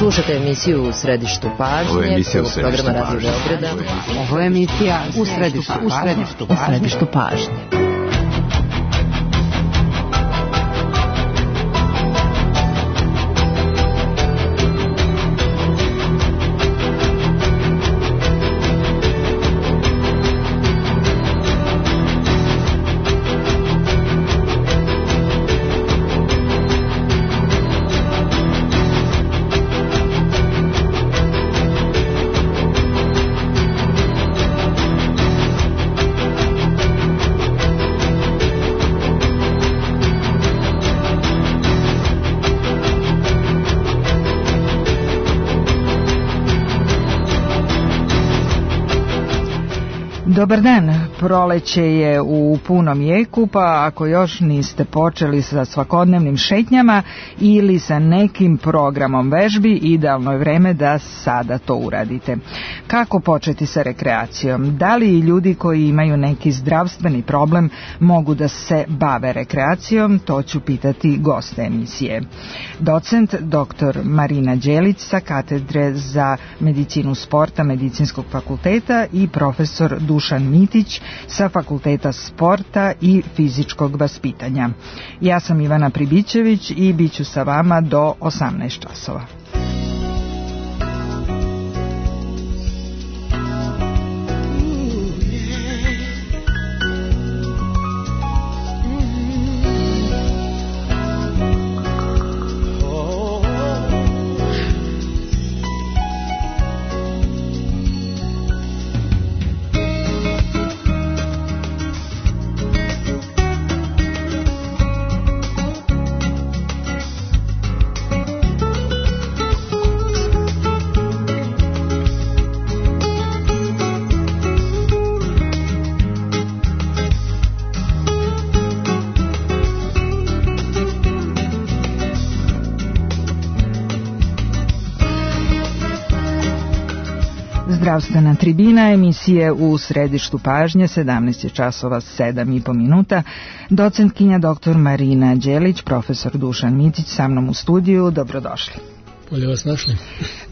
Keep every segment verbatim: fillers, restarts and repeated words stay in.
Slušajte emisiju U središtu pažnje. Ovo je emisija U središtu programa Radio Beograda. Ovo je emisija U središtu U središtu pažnje. Dobar dan, proleće je u punom jeku, pa ako još niste počeli sa svakodnevnim šetnjama ili sa nekim programom vežbi, idealno je vreme da sada to uradite. Kako početi sa rekreacijom? Da li ljudi koji imaju neki zdravstveni problem mogu da se bave rekreacijom? To ću pitati goste emisije. Docent doktor Marina Đelić sa katedre za medicinu sporta Medicinskog fakulteta i profesor Dušan Mitić sa Fakulteta sporta i fizičkog vaspitanja. Ja sam Ivana Pribićević i bit ću sa vama do osamnaest časova. Zdravstvena tribina, emisije U središtu pažnje, sedamnaest časova sedam i po minuta. Docentkinja doktor Marina Đelić, profesor Dušan Mitić sa mnom u studiju. Dobrodošli. Bolje vas našli.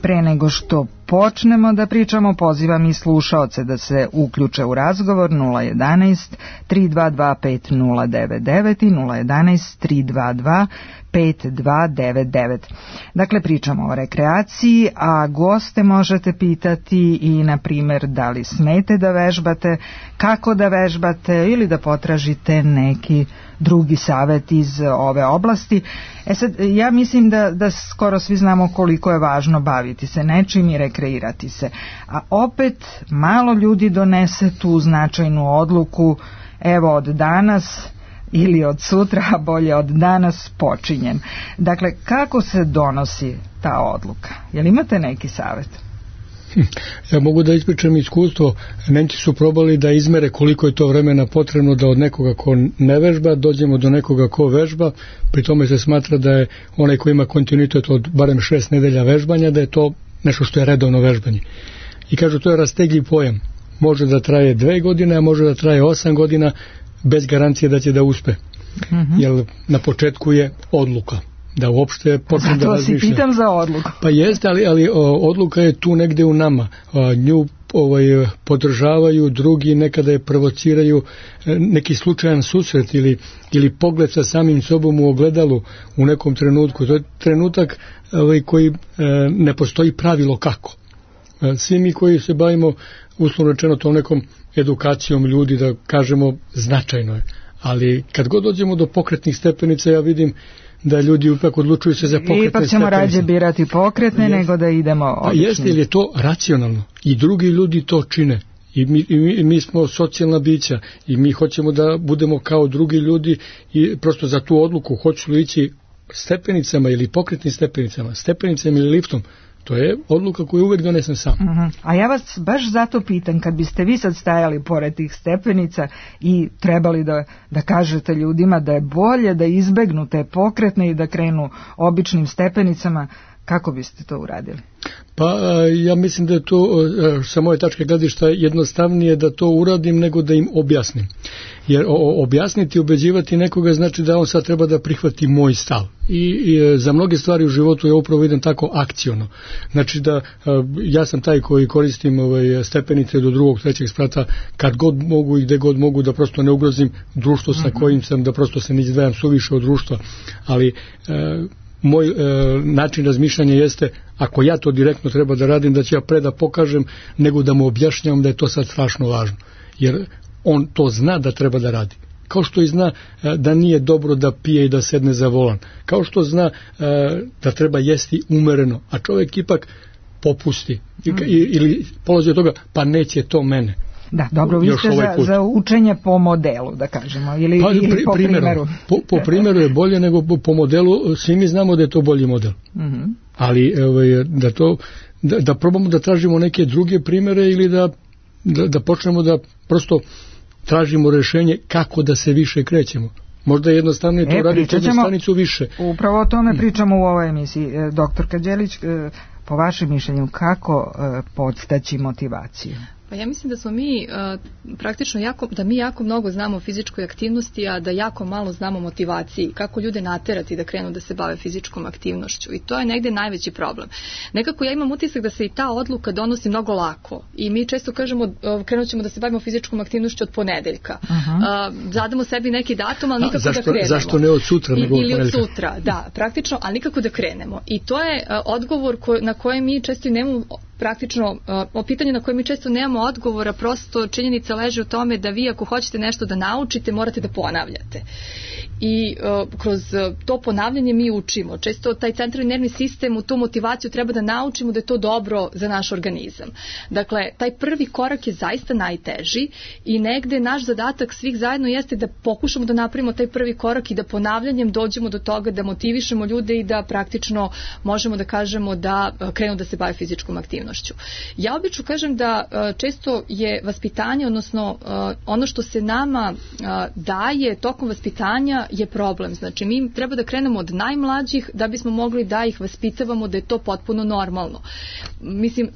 Pre nego što počnemo da pričamo, pozivam i slušaoce da se uključe u razgovor nula jedanaest tri dva dva pet nula devet devet i nula jedanaest tri dva dva pet dva devet devet. Dakle, pričamo o rekreaciji, a goste možete pitati i, na primjer, da li smete da vežbate, kako da vežbate ili da potražite neki drugi savjet iz ove oblasti. E sad, ja mislim da, da skoro svi znamo koliko je važno baviti se nečim i rekreirati se. A opet, malo ljudi donese tu značajnu odluku, evo od danas ili od sutra, a bolje od danas počinjem. Dakle, kako se donosi ta odluka? Jel imate neki savjet? Ja mogu da ispričam iskustvo. Nemci su probali da izmere koliko je to vremena potrebno da od nekoga ko ne vežba dođemo do nekoga ko vežba. Pri tome se smatra da je onaj ko ima kontinuitet od barem šest nedelja vežbanja, da je to nešto što je redovno vežbanje. I kažu, to je rastegljiv pojam. Može da traje dve godine, a može da traje osam godina, bez garancije da će da uspe. Mm-hmm. Jer na početku je odluka. Da uopšte počne da razmišlja. Zato si pitam za odluku. Pa jeste, ali, ali o, odluka je tu negde u nama. A, nju ovaj, podržavaju drugi, nekada je provociraju neki slučajan susret ili, ili pogled sa samim sobom u ogledalu u nekom trenutku. To je trenutak ovaj, koji e, ne postoji pravilo kako. E, svi mi koji se bavimo uslovno rečeno tom nekom edukacijom ljudi, da kažemo, značajno je. Ali kad god dođemo do pokretnih stepenica, ja vidim da ljudi ipak odlučuju se za pokretne stepenice. Ipak ćemo rađe birati pokretne jest, nego da idemo običnim. A jeste, jer je to racionalno. I drugi ljudi to čine. I mi, i mi, i mi smo socijalna bića. I mi hoćemo da budemo kao drugi ljudi i prosto za tu odluku hoću li ići stepenicama ili pokretnim stepenicama, stepenicama ili liftom. To je odluka koju uvek donesem sam. Uh-huh. A ja vas baš zato pitam, kad biste vi sad stajali pored tih stepenica i trebali da, da kažete ljudima da je bolje da izbegnu te pokretne i da krenu običnim stepenicama, Kako biste to uradili? Pa ja mislim da je to sa moje tačke gledišta jednostavnije da to uradim nego da im objasnim. Jer objasniti, ubeđivati nekoga znači da on sad treba da prihvati moj stav. I, i za mnoge stvari u životu ja upravo idem tako akciono. Znači da ja sam taj koji koristim ovaj, stepenice do drugog, trećeg sprata kad god mogu i gde god mogu, da prosto ne ugrozim društvo sa kojim sam, da prosto se ne izdvajam suviše od društva. Ali e, moj e, način razmišljanja jeste, ako ja to direktno treba da radim, da ću ja pre da pokažem nego da mu objašnjavam da je to sad strašno važno. Jer on to zna da treba da radi. Kao što i zna e, da nije dobro da pije i da sedne za volan. Kao što zna e, da treba jesti umereno, a čovjek ipak popusti I, mm. ili polazi od toga, pa neće to mene. Da, dobro, vi ste ovaj za, za učenje po modelu, da kažemo, ili, pa, ili pri, po primjeru. primjeru. Po, po primjeru je bolje nego po, po modelu, svi mi znamo da je to bolji model. Mm-hmm. Ali ovaj, da, to, da, da probamo da tražimo neke druge primjere ili da, da, da počnemo da prosto tražimo rešenje kako da se više krećemo. Možda je jednostavnije to e, raditi jednu stanicu više. Upravo o tome pričamo u ovoj emisiji. Doktor Kađelić, po vašem mišljenju, kako podstaći motivaciju? Pa ja mislim da smo mi uh, praktično jako, da mi jako mnogo znamo o fizičkoj aktivnosti, a da jako malo znamo o motivaciji, kako ljude naterati da krenu da se bave fizičkom aktivnošću. I to je negde najveći problem. Nekako ja imam utisak da se i ta odluka donosi mnogo lako. I mi često kažemo, uh, krenut ćemo da se bavimo fizičkom aktivnošću od ponedeljka. Uh-huh. Uh, zadamo sebi neki datum, ali nikako zašto, da krenemo. Zašto ne od sutra? I, nego ili od, od sutra, da, praktično, ali nikako da krenemo. I to je uh, odgovor ko, na koje mi često i nemamo praktično, o pitanju na koje mi često nemamo odgovora, prosto činjenica leži u tome da vi ako hoćete nešto da naučite, morate da ponavljate. I uh, kroz to ponavljanje mi učimo. Često taj centralni nervni sistem u tu motivaciju treba da naučimo da je to dobro za naš organizam. Dakle, taj prvi korak je zaista najteži i negde naš zadatak svih zajedno jeste da pokušamo da napravimo taj prvi korak i da ponavljanjem dođemo do toga da motivišemo ljude i da praktično možemo da kažemo da krenu da se bave fizičkom aktivnošću. Ja obično kažem da uh, često je vaspitanje, odnosno uh, ono što se nama uh, daje tokom vaspitanja je problem. Znači, mi treba da krenemo od najmlađih da bismo mogli da ih vaspitavamo da je to potpuno normalno. Mislim,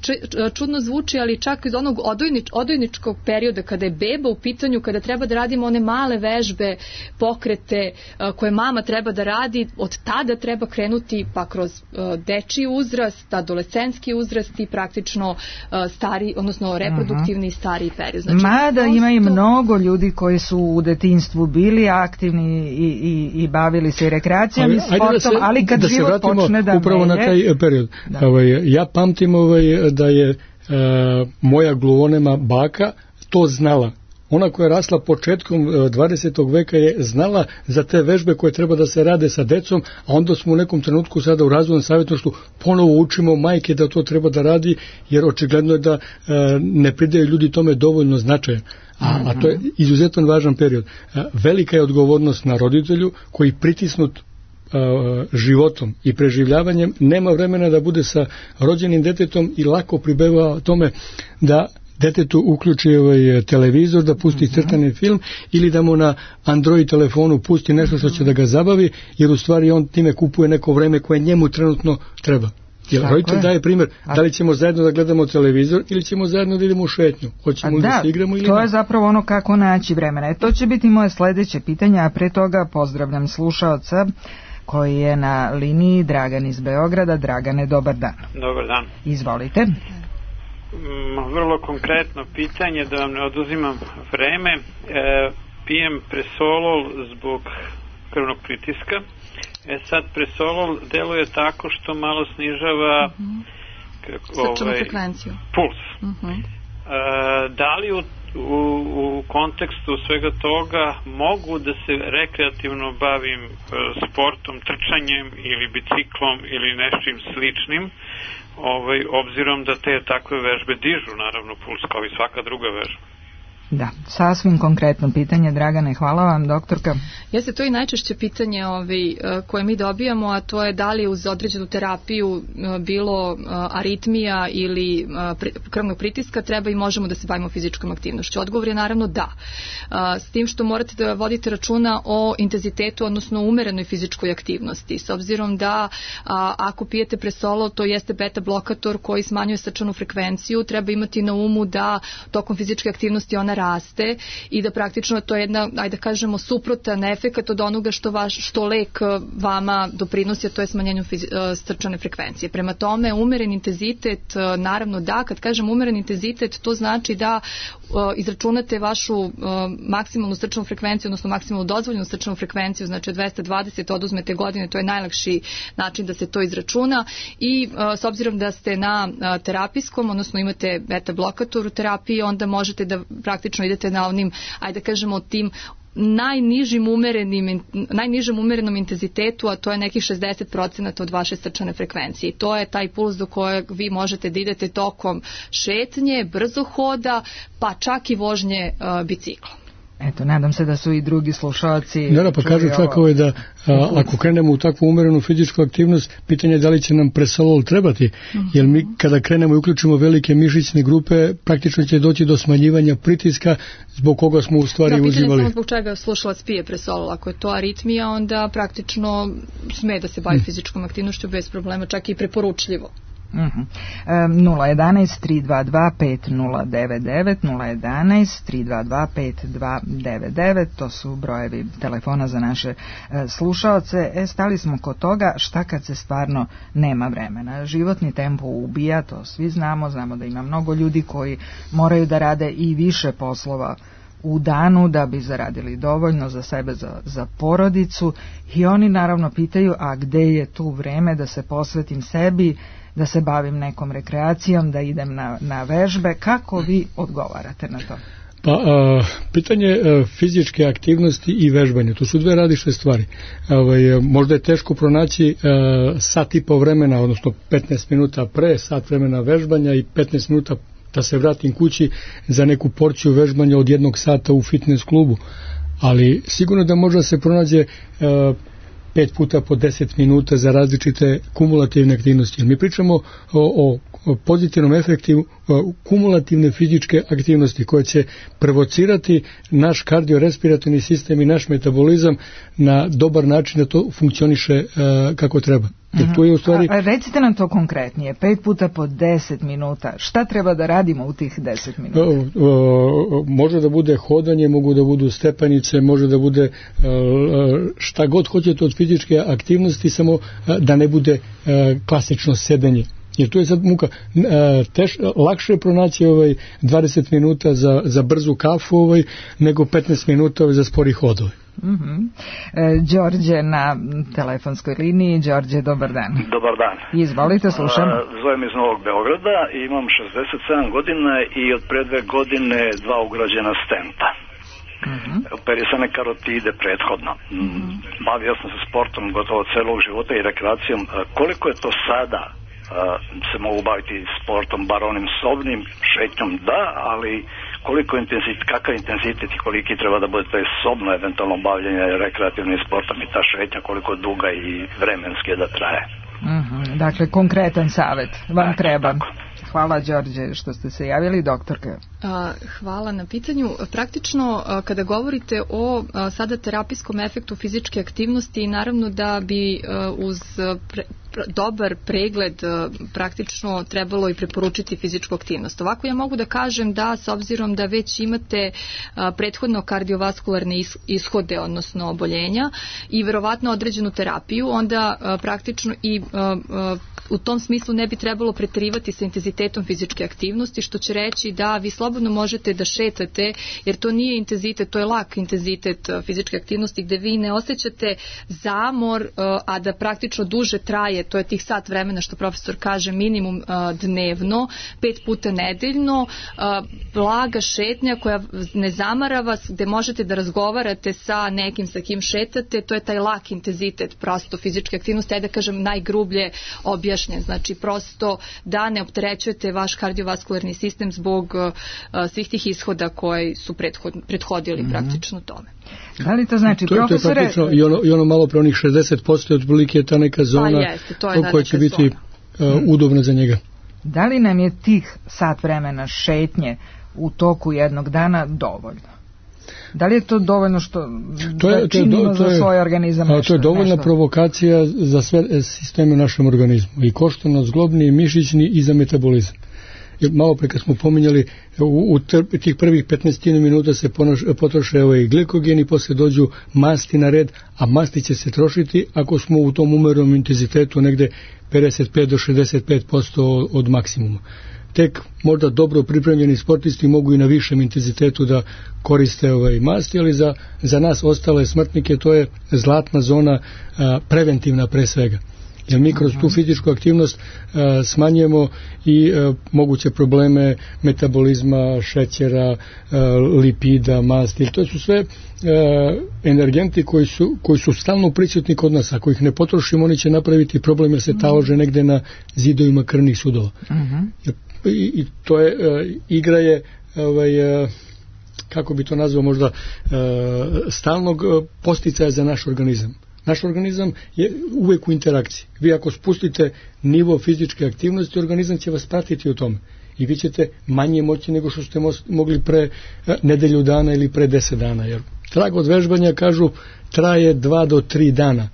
čudno zvuči, ali čak iz onog odojnič, odojničkog perioda kada je beba u pitanju, kada treba da radimo one male vežbe, pokrete koje mama treba da radi, od tada treba krenuti pa kroz dečiji uzrast, adolescenski uzrast i praktično stari, odnosno reproduktivni i stariji period. Znači, mada prosto... ima i mnogo ljudi koji su u detinjstvu bili aktivni i, i, i bavili se i rekreacijom i sportom, se, ali kad da život počne da upravo melje... na taj period. Ovaj, ja pamtim ovaj, da je uh, moja gluvonema baka to znala. Ona koja je rasla početkom dvadesetog veka je znala za te vežbe koje treba da se rade sa decom, a onda smo u nekom trenutku sada u razvojnom savjetništvu ponovo učimo majke da to treba da radi, jer očigledno je da uh, ne pridaju ljudi tome dovoljno značaja. A, a to je izuzetno važan period. Velika je odgovornost na roditelju koji pritisnut a, životom i preživljavanjem nema vremena da bude sa rođenim detetom i lako pribeva tome da detetu uključi ovaj televizor, da pusti crtani film ili da mu na Android telefonu pusti nešto što će da ga zabavi, jer u stvari on time kupuje neko vreme koje njemu trenutno treba. Jer roditelj daje primjer, da li ćemo zajedno da gledamo televizor ili ćemo zajedno da idemo u šetnju, hoćemo da, da se igramo ili to ne. Je zapravo ono kako naći vremena. E, to će biti moje sljedeće pitanje, a pre toga pozdravljam slušaoca koji je na liniji, Dragan iz Beograda. Dragane, dobar dan. Dobar dan. Izvolite. Mm, vrlo konkretno pitanje, da vam ne oduzimam vreme. E, pijem Presolol zbog krvnog pritiska. E sad, Presolol deluje tako što malo snižava uh-huh. kako, srčanu ovaj, frekvenciju. Puls. Uh-huh. E, da li u, u, u kontekstu svega toga mogu da se rekreativno bavim e, sportom, trčanjem ili biciklom ili nečim sličnim, ovaj, obzirom da te takve vežbe dižu naravno puls kao i svaka druga vežba? Da, sasvim konkretno pitanje, Dragane, hvala vam, doktorka. Jeste, to je najčešće pitanje ovaj, koje mi dobijamo, a to je da li uz određenu terapiju bilo aritmija ili krvnog pritiska treba i možemo da se bavimo fizičkom aktivnošću. Odgovor je naravno da. S tim što morate da vodite računa o intenzitetu, odnosno umerenoj fizičkoj aktivnosti. S obzirom da ako pijete Presolol, to jeste beta blokator koji smanjuje srčanu frekvenciju, treba imati na umu da tokom fizičke aktivnosti ona raste i da praktično to je jedna, ajde da kažemo, suprotan efekat od onoga što, vaš, što lek vama doprinosi, a to je smanjenju fizi, srčane frekvencije. Prema tome, umeren intenzitet, naravno da, kad kažem umeren intenzitet, to znači da izračunate vašu maksimalnu srčanu frekvenciju, odnosno maksimalnu dozvoljenu srčanu frekvenciju, znači od dvesta dvadeset oduzmete godine, to je najlakši način da se to izračuna i s obzirom da ste na terapijskom, odnosno imate beta blokator u terapiji, onda možete da praktično idete na onim, ajde da kažemo, tim najnižim umerenim, najnižem umerenom intenzitetu, a to je nekih šezdeset procenata od vaše srčane frekvencije. I to je taj puls do kojeg vi možete da idete tokom šetnje, brzohoda, pa čak i vožnje uh, biciklom. Eto, nadam se da su i drugi slušalci... Da, pa kažu čak ovo je da a, ako krenemo u takvu umerenu fizičku aktivnost, pitanje je da li će nam Presolol trebati, mm-hmm. jer mi kada krenemo i uključimo velike mišićne grupe, praktično će doći do smanjivanja pritiska zbog koga smo u stvari da, uzimali. Da, pitanje je zbog čega slušalac pije Presolol. Ako je to aritmija, onda praktično sme da se bavi mm. fizičkom aktivnošću bez problema, čak i preporučljivo. Uh-huh. Um, nula jedanaest tri dva dva pet nula devet devet nula jedanaest tri dva dva pet dva devet devet, to su brojevi telefona za naše uh, slušaoce. E, stali smo kod toga šta kad se stvarno nema vremena. Životni tempo ubija, to svi znamo, znamo da ima mnogo ljudi koji moraju da rade i više poslova u danu da bi zaradili dovoljno za sebe, za, za porodicu, i oni naravno pitaju, a gde je tu vreme da se posvetim sebi, da se bavim nekom rekreacijom, da idem na, na vežbe. Kako vi odgovarate na to? Pa, a, pitanje a, fizičke aktivnosti i vežbanja, to su dve različite stvari. Ovaj, možda je teško pronaći a, sat i po vremena, odnosno petnaest minuta pre, sat vremena vežbanja i petnaest minuta da se vratim kući za neku porciju vežbanja od jednog sata u fitness klubu. Ali sigurno da možda se pronađe a, pet puta po deset minuta za različite kumulativne aktivnosti. Mi pričamo o, o, o pozitivnom efektu kumulativne fizičke aktivnosti koje će provocirati naš kardiorespiratorni sistem i naš metabolizam na dobar način da to funkcioniše uh, kako treba. Jer tu je u stvari... A, a recite nam to konkretnije, pet puta po deset minuta, šta treba da radimo u tih deset minuta? O, o, može da bude hodanje, mogu da budu stepenice, može da bude šta god hoćete od fizičke aktivnosti, samo da ne bude klasično sedenje. Jer tu je sad muka, teš, lakše je pronaći ovaj dvadeset minuta za, za brzu kafu ovaj, nego petnaest minuta ovaj, za spori hodove. Mm-hmm. E, Đorđe na telefonskoj liniji. Đorđe, dobar dan. Dobar dan. Izvolite, slušam. A, zovem iz Novog Beograda, imam šezdeset sedam godina i od pre dve godine dva ugrađena stenta. Mm-hmm. Operisane karotide prethodno. Mm-hmm. Bavio sam se sportom gotovo celog života i rekreacijom. Koliko je to sada se mogu baviti sportom, bar onim sobnim, šetnjom da, ali koliko intenzitet, kakav intenzitet i koliki treba da bude to je sobno eventualno bavljenje rekreativnim sportom i ta šetnja koliko duga i vremenski da traje. Mm-hmm. Dakle, konkretan savjet vam tako, treba. Tako. Hvala, Đorđe, što ste se javili, doktorka. Hvala na pitanju. Praktično, kada govorite o sada terapijskom efektu fizičke aktivnosti, naravno da bi uz pre, dobar pregled praktično trebalo i preporučiti fizičku aktivnost. Ovako ja mogu da kažem da s obzirom da već imate prethodno kardiovaskularne ishode, odnosno oboljenja i verovatno određenu terapiju, onda praktično i u tom smislu ne bi trebalo preterivati sa intenzitetom fizičke aktivnosti, što će reći da vi slobodno možete da šetate, jer to nije intenzitet, to je lak intenzitet fizičke aktivnosti gde vi ne osjećate zamor, a da praktično duže traje, to je tih sat vremena što profesor kaže minimum dnevno, pet puta nedeljno, blaga šetnja koja ne zamara vas, gde možete da razgovarate sa nekim sa kim šetate, to je taj lak intenzitet prosto fizičke aktivnosti, ajde da kažem najgrublje objašnjeno unutrašnje, znači prosto da ne opterećujete vaš kardiovaskularni sistem zbog uh, svih tih ishoda koji su prethod, prethodili mm-hmm. praktično tome. Da li to znači, to, profesore... To je praktično i ono, i ono malo pre onih šezdeset posto otprilike je ta neka zona pa jeste, to je koja će biti uh, udobna za njega. Da li nam je tih sat vremena šetnje u toku jednog dana dovoljno? Da li je to dovoljno što to je, da činimo to je, to je, za svoj organizam nešto? To je dovoljna nešto? Provokacija za sve sisteme u našem organizmu. I koštano, zglobni, i mišićni i za metabolizam. Jer malo pre kad smo pominjali, u, u tih prvih petnaest minuta se ponoš, potroše ovaj glikogen i posle dođu masti na red, a masti će se trošiti ako smo u tom umernom intenzitetu negde pedeset pet do šezdeset pet posto od maksimuma. Tek možda dobro pripremljeni sportisti mogu i na višem intenzitetu da koriste ovaj masti, ali za, za nas ostale smrtnike to je zlatna zona, a, preventivna pre svega. Jer mi kroz tu fizičku aktivnost a, smanjujemo i a, moguće probleme metabolizma, šećera, a, lipida, masti. To su sve a, energenti koji su, koji su stalno prisutni kod nas. Ako ih ne potrošimo, oni će napraviti problem jer se talože negde na zidovima krvnih sudova. Uh-huh. I, i to je, uh, igra je ovaj, uh, kako bi to nazvao možda uh, stalnog uh, posticaja za naš organizam. Naš organizam je uvek u interakciji. Vi ako spustite nivo fizičke aktivnosti, organizam će vas pratiti u tome. I vi ćete manje moći nego što ste mogli pre uh, nedelju dana ili pre deset dana. Jer trag od vežbanja, kažu, traje dva do tri dana.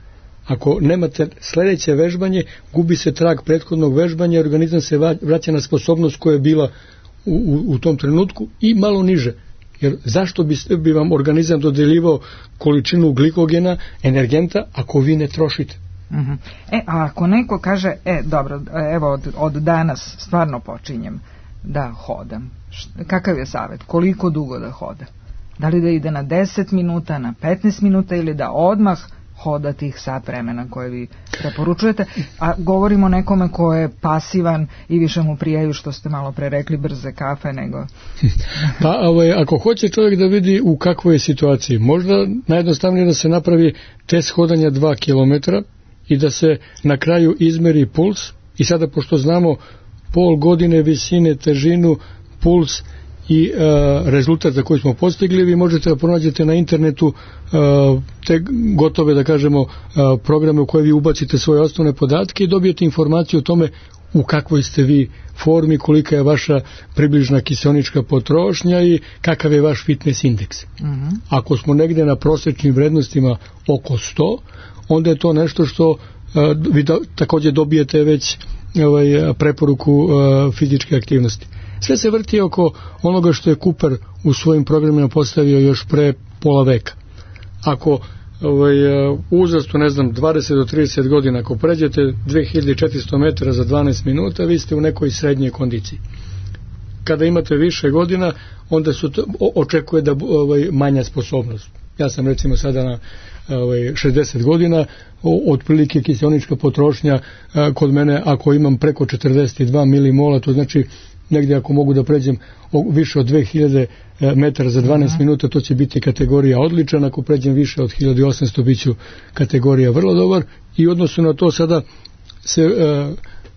Ako nemate sledeće vežbanje, gubi se trag prethodnog vežbanja, organizam se vraća na sposobnost koja je bila u, u, u tom trenutku i malo niže. Jer zašto bi, bi vam organizam dodeljivao količinu glikogena, energenta, ako vi ne trošite? Uh-huh. E, a ako neko kaže, e, dobro, evo od, od danas stvarno počinjem da hodam. Kakav je savjet? Koliko dugo da hoda? Da li da ide na deset minuta, na petnaest minuta ili da odmah hoda tih sat vremena koje vi preporučujete, a govorimo o nekome ko je pasivan i više mu prijaju, što ste malo pre rekli, brze kafe nego... Pa ovaj, ako hoće čovjek da vidi u kakvoj je situaciji, možda najjednostavnije da se napravi test hodanja dva kilometra i da se na kraju izmeri puls i sada pošto znamo pol godine, visine, težinu, puls i uh, rezultat za koji smo postigli, vi možete da pronađete na internetu uh, te gotove, da kažemo, uh, programe u koje vi ubacite svoje osnovne podatke i dobijete informaciju o tome u kakvoj ste vi formi, kolika je vaša približna kiseonička potrošnja i kakav je vaš fitness indeks. Uh-huh. Ako smo negde na prosečnim vrednostima oko sto, onda je to nešto što uh, vi do, takođe dobijete već ovaj, preporuku uh, fizičke aktivnosti. Sve se vrti oko onoga što je Cooper u svojim programima postavio još pre pola veka. Ako ovaj, uzrastu, ne znam, dvadeset do trideset godina, ako pređete dve hiljade četiristo metara za dvanaest minuta, vi ste u nekoj srednjoj kondiciji. Kada imate više godina, onda se očekuje da ovaj, manja sposobnost. Ja sam recimo sada na ovaj, šezdeset godina, otprilike kiseonička potrošnja a, kod mene, ako imam preko četrdeset dva milimola, to znači negdje ako mogu da pređem više od dve hiljade metara za dvanaest minuta, to će biti kategorija odličan, ako pređem više od hiljadu osamsto bit ću kategorija vrlo dobar i odnosno na to sada se,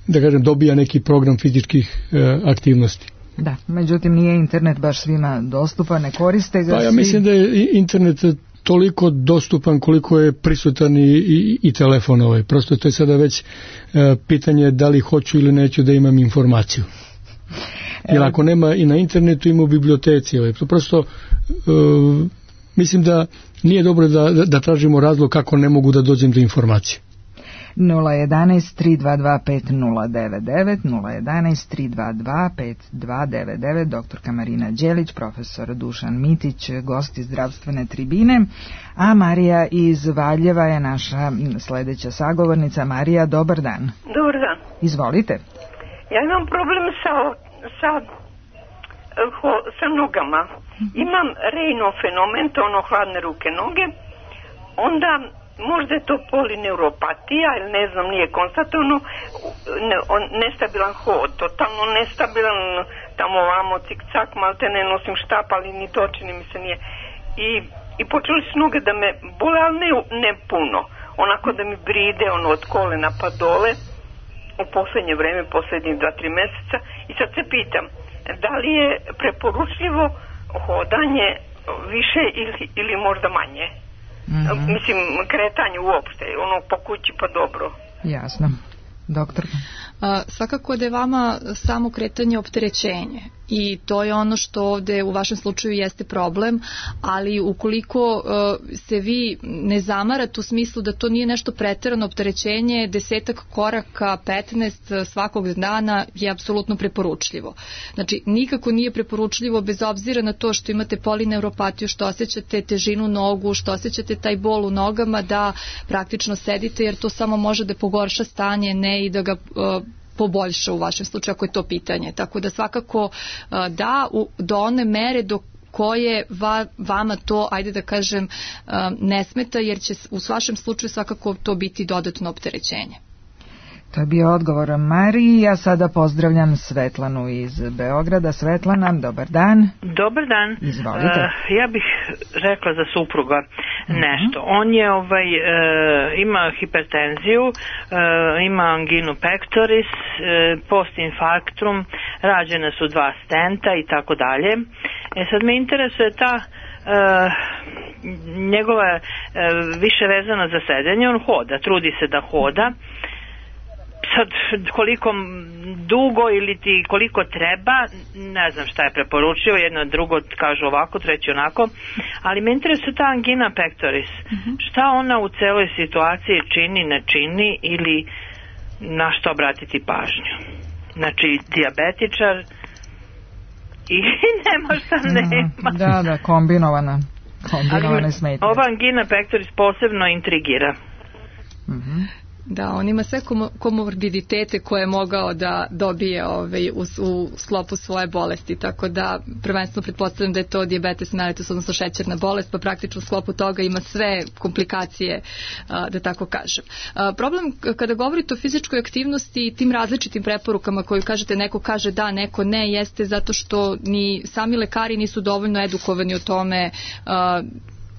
da kažem, dobija neki program fizičkih aktivnosti. Da, međutim nije internet baš svima dostupan, ne koriste ga. Pa ja mislim da je internet toliko dostupan koliko je prisutan i, i, i telefon ovaj. Prosto to je sada već e, pitanje da li hoću ili neću da imam informaciju. Jer ako nema i na internetu, ima u biblioteci. Ovaj. Prosto e, mislim da nije dobro da, da, da tražimo razlog kako ne mogu da dođem do informacije. nula jedan tri dva dva pet nula devet devet, nula jedan tri dva dva pet dva devet devet, doktorka Marina Đelić, profesor Dušan Mitić, gosti zdravstvene tribine, a Marija iz Valjeva je naša sledeća sagovornica. Marija, dobar dan. Dobar dan. Izvolite. Ja imam problem sa, sa, sa nogama. Imam Raynaud fenomen, to ono hladne ruke noge, onda možda je to polineuropatija ili ne znam, nije konstatovano, ne, on, nestabilan hod, totalno nestabilan, tamo ovamo cik-cak, malte ne nosim štap, ali ni to čini mi se nije. I, i počeli su noge da me bole, ali ne, ne puno, onako da mi bride ono od kolena pa dole u poslednje vreme, poslednjih dva, tri meseca, i sad se pitam, da li je preporučljivo hodanje više ili, ili možda manje? Mm-hmm. Mislim, kretanje uopšte, ono po kući pa dobro. Jasno. Doktor? A, svakako da je vama samo kretanje opterećenje i to je ono što ovde u vašem slučaju jeste problem, ali ukoliko uh, se vi ne zamarate u smislu da to nije nešto preterano opterećenje, desetak koraka, petnaest svakog dana je apsolutno preporučljivo. Znači, nikako nije preporučljivo bez obzira na to što imate polineuropatiju, što osjećate težinu nogu, što osjećate taj bol u nogama, da praktično sedite, jer to samo može da pogorša stanje, ne i da ga uh, poboljša u vašem slučaju ako je to pitanje. Tako da svakako da u, do one mere do koje va, vama to, ajde da kažem, ne smeta, jer će u vašem slučaju svakako to biti dodatno opterećenje. To je bio odgovor Mariji. Ja sada pozdravljam Svetlanu iz Beograda. Svetlana, dobar dan. Dobar dan. Izvolite. Uh, ja bih rekla za supruga nešto. Uh-huh. On je ovaj uh, ima hipertenziju, uh, ima anginu pectoris, uh, postinfarktrum, rađene su dva stenta i tako dalje. E sad me interesuje ta uh, njegova uh, više vezana za sedenje. On hoda, trudi se da hoda. Sad, koliko dugo ili ti koliko treba, ne znam šta je preporučio, jedno drugo kaže ovako, treće onako, ali me interesuje ta angina pectoris. Mm-hmm. Šta ona u celoj situaciji čini, ne čini ili na što obratiti pažnju? Znači, dijabetičar i nema šta nema. Da, da, kombinovana, kombinovane smetnje. Ova angina pectoris posebno intrigira. Mhm. Da, on ima sve komorbiditete koje je mogao da dobije ovaj, u, u sklopu svoje bolesti, tako da prvenstveno pretpostavljam da je to dijabetes mellitus, odnosno šećerna bolest, pa praktično u sklopu toga ima sve komplikacije, da tako kažem. Problem kada govorite o fizičkoj aktivnosti i tim različitim preporukama koju kažete, neko kaže da, neko ne, jeste zato što ni sami lekari nisu dovoljno edukovani o tome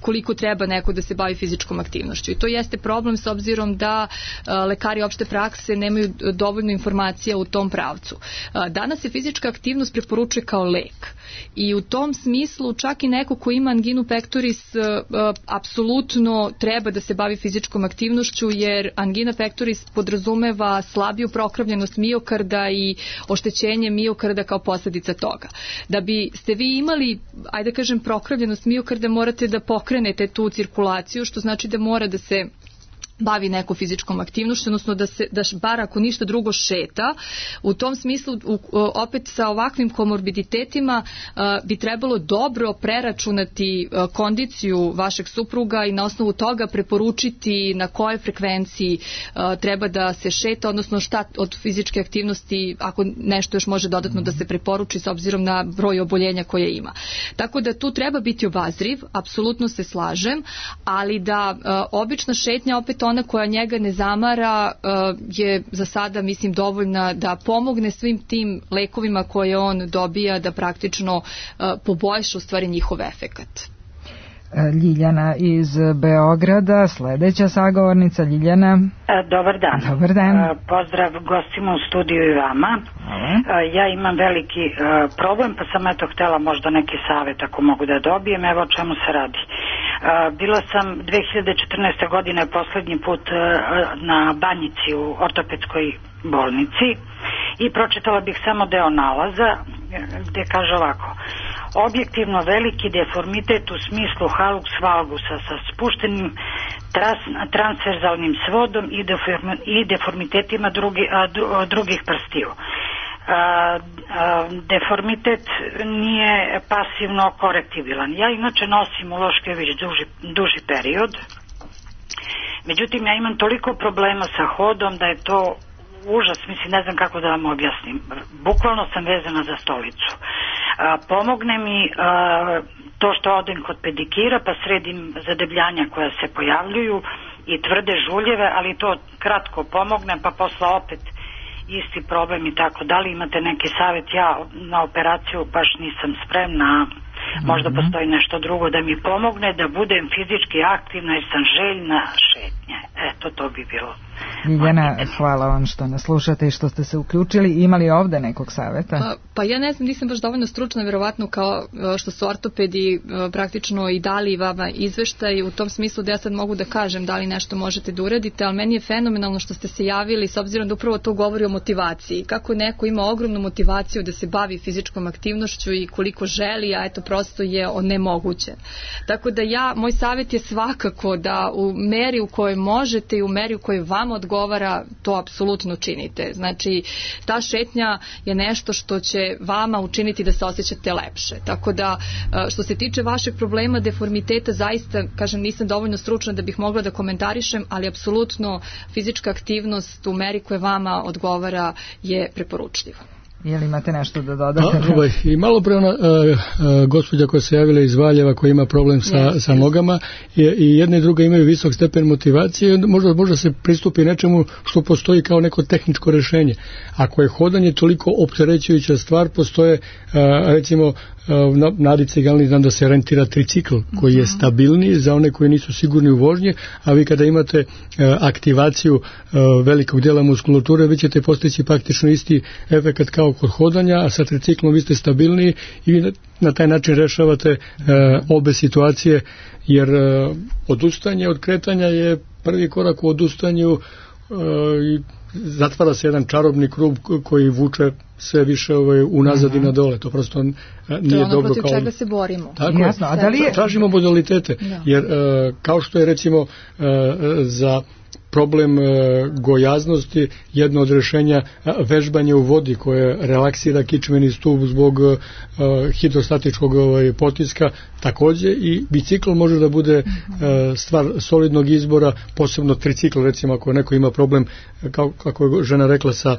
koliko treba neko da se bavi fizičkom aktivnošću. I to jeste problem s obzirom da a, lekari opšte prakse nemaju dovoljno informacija u tom pravcu. A, danas se fizička aktivnost preporučuje kao lek. I u tom smislu čak i neko ko ima anginu pectoris a, a, apsolutno treba da se bavi fizičkom aktivnošću, jer angina pectoris podrazumeva slabiju prokrvljenost miokarda i oštećenje miokarda kao posljedica toga. Da bi ste vi imali, ajde kažem, prokrvljenost miokarda, morate da pokrenete tu cirkulaciju, što znači da mora da se bavi neko fizičkom aktivnošću, odnosno da se da bar ako ništa drugo šeta. U tom smislu u, opet sa ovakvim komorbiditetima a, bi trebalo dobro preračunati a, kondiciju vašeg supruga i na osnovu toga preporučiti na kojoj frekvenciji a, treba da se šeta, odnosno šta od fizičke aktivnosti, ako nešto još može dodatno da se preporuči s obzirom na broj oboljenja koje ima. Tako da tu treba biti obazriv, apsolutno se slažem, ali da a, obična šetnja, opet ona koja njega ne zamara, je za sada, mislim, dovoljna da pomogne svim tim lekovima koje on dobija da praktično poboljša u stvari njihov efekat. Ljiljana iz Beograda, sledeća sagovornica. Ljiljana. Dobar dan. Dobar dan. Pozdrav gostima u studiju i vama. Hvala. Ja imam veliki problem, pa sam eto htela možda neki savjet ako mogu da dobijem. Evo o čemu se radi. Bila sam dve hiljade četrnaeste. godine poslednji put na Banjici u ortopedskoj bolnici i pročitala bih samo deo nalaza gde kaže ovako: objektivno veliki deformitet u smislu halux valgusa sa spuštenim tras, transverzalnim svodom i, deform, i deformitetima drugi, a, drugih prstiju. A, a, deformitet nije pasivno korektibilan. Ja inače nosim uloške već duži, duži period, međutim ja imam toliko problema sa hodom da je to užas, mislim, ne znam kako da vam objasnim. Bukvalno sam vezana za stolicu. A, pomogne mi a, to što odem kod pedikira pa sredim zadebljanja koja se pojavljuju i tvrde žuljeve, ali to kratko pomogne pa posle opet isti problem i tako. Da li imate neki savjet? Ja na operaciju baš nisam spremna, možda postoji nešto drugo da mi pomogne da budem fizički aktivna jer sam željna šetnje. Eto, to bi bilo. Ljiljana, hvala vam što nas slušate i što ste se uključili. Imali ovde nekog saveta? Pa, pa ja ne znam, nisam baš dovoljno stručna, verovatno kao što su ortopedi praktično i dali vama izveštaj u tom smislu da ja sad mogu da kažem da li nešto možete da uradite, ali meni je fenomenalno što ste se javili s obzirom da upravo to govori o motivaciji. Kako neko ima ogromnu motivaciju da se bavi fizičkom aktivnošću i koliko želi, a eto prosto je nemoguće. Tako da ja, moj savjet je svakako da u meri u kojoj možete i u meri u kojoj vam odgovara, to apsolutno činite. Znači, ta šetnja je nešto što će vama učiniti da se osjećate lepše. Tako da, što se tiče vašeg problema deformiteta, zaista, kažem, nisam dovoljno stručna da bih mogla da komentarišem, ali apsolutno fizička aktivnost u meri koja vama odgovara je preporučljiva. Je li imate nešto da dodate? A, ovaj, I malo pre ona uh, uh, gospođa koja se javila iz Valjeva koja ima problem sa, yes, sa nogama i, i jedna i druga imaju visok stepen motivacije, možda, možda se pristupi nečemu što postoji kao neko tehničko rešenje. Ako je hodanje toliko opterećujuća stvar, postoje uh, recimo na Nadice Galni znam da se rentira tricikl koji je stabilniji za one koji nisu sigurni u vožnji, a vi kada imate uh, aktivaciju uh, velikog dela muskulature, vi ćete postići praktično isti efekt kao kod hodanja, a sa triciklom vi ste stabilniji i vi na taj način rešavate uh, obe situacije, jer uh, odustanje od kretanja je prvi korak u odustanju uh, i zatvara se jedan čarobni krug koji vuče sve više ovaj, unazad i na dole. To prosto nije dobro. To je ono dobro protiv kao... čega se borimo. Tako Jasno, a da li je... Tražimo modalitete, da. Jer uh, kao što je recimo uh, za problem uh, gojaznosti jedno od rešenja uh, vežbanje u vodi koje relaksira kičmeni stub zbog uh, hidrostatičkog ovaj, potiska, takođe i bicikl može da bude uh, stvar solidnog izbora, posebno tricikl, recimo ako neko ima problem, kao, kako je žena rekla, sa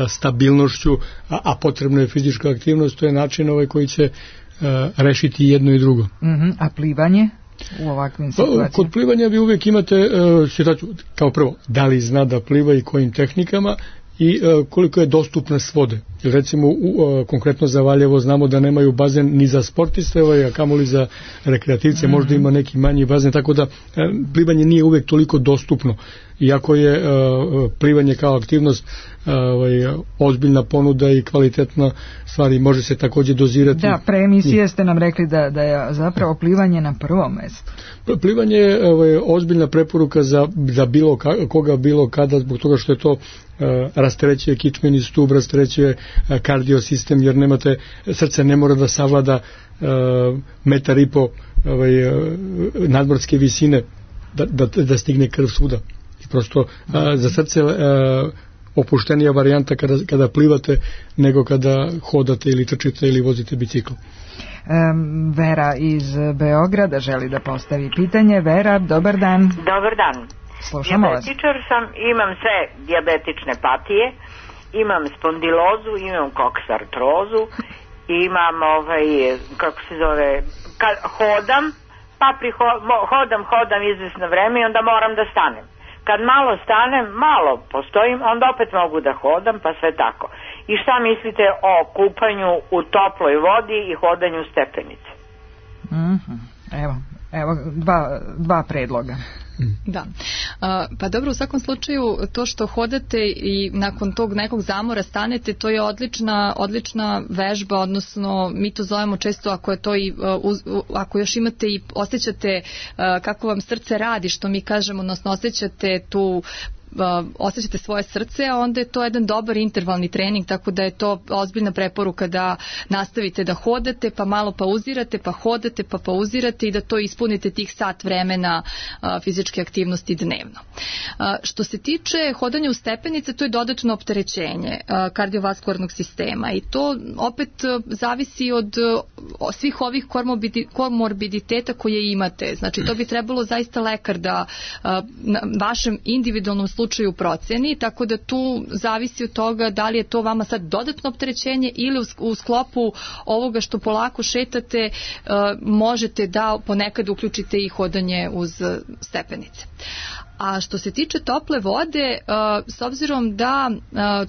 stabilnošću, a, a potrebna je fizička aktivnost, to je način ovaj koji će uh, rešiti jedno i drugo. Mm-hmm. A plivanje u ovakvim situacijama? Kod plivanja vi uvijek imate uh, situaciju, kao prvo, da li zna da pliva i kojim tehnikama i uh, koliko je dostupnost vode. Jer recimo u, uh, konkretno za Valjevo znamo da nemaju bazen ni za sportiste, ovaj, a kamoli za rekreativce, mm-hmm. možda ima neki manji bazen, tako da uh, plivanje nije uvijek toliko dostupno. Iako je uh, plivanje kao aktivnost uh, ovaj, ozbiljna ponuda i kvalitetna stvar i može se takođe dozirati. Da, pre emisije ste nam rekli da, da je zapravo plivanje na prvom mestu. Plivanje je ovaj, ozbiljna preporuka za, za bilo ka, koga bilo kada, zbog toga što je to uh, rasterećuje kičmeni stub, rasterećuje uh, kardiosistem, jer nemate, srce ne mora da savlada uh, metar i po ovaj, uh, nadmorske visine da, da, da stigne krv svuda. Prosto a, za srce a, opuštenija varijanta kada, kada plivate nego kada hodate ili trčite ili vozite bicikl. Um, Vera iz Beograda želi da postavi pitanje. Vera, dobar dan. Dobar dan. Slušamo vas. Dijabetičar sam, imam sve dijabetične patije, imam spondilozu, imam koksartrozu, imam ovaj, kako se zove, kad hodam, pa priho, hodam, hodam izvesno vreme i onda moram da stanem. Kad malo stanem, malo postojim, onda opet mogu da hodam, pa sve tako. I šta mislite o kupanju u toploj vodi i hodanju stepenice? Mm-hmm. Evo, evo dva, dva predloga. Da. Uh, pa dobro, u svakom slučaju to što hodate i nakon tog nekog zamora stanete, to je odlična, odlična vežba, odnosno mi to zovemo često ako je to i, uh, uz, ako još imate i osjećate uh, kako vam srce radi, što mi kažemo, odnosno osjećate tu osjećate svoje srce, a onda je to jedan dobar intervalni trening, tako da je to ozbiljna preporuka da nastavite da hodate, pa malo pauzirate, pa hodate, pa pauzirate i da to ispunite tih sat vremena fizičke aktivnosti dnevno. Što se tiče hodanja u stepenice, to je dodatno opterećenje kardiovaskularnog sistema i to opet zavisi od svih ovih komorbiditeta koje imate. Znači, to bi trebalo zaista lekar da na vašem individualnom slučaju proceni, tako da tu zavisi od toga da li je to vama sad dodatno opterećenje ili u sklopu ovoga što polako šetate možete da ponekad uključite i hodanje uz stepenice. A što se tiče tople vode, s obzirom da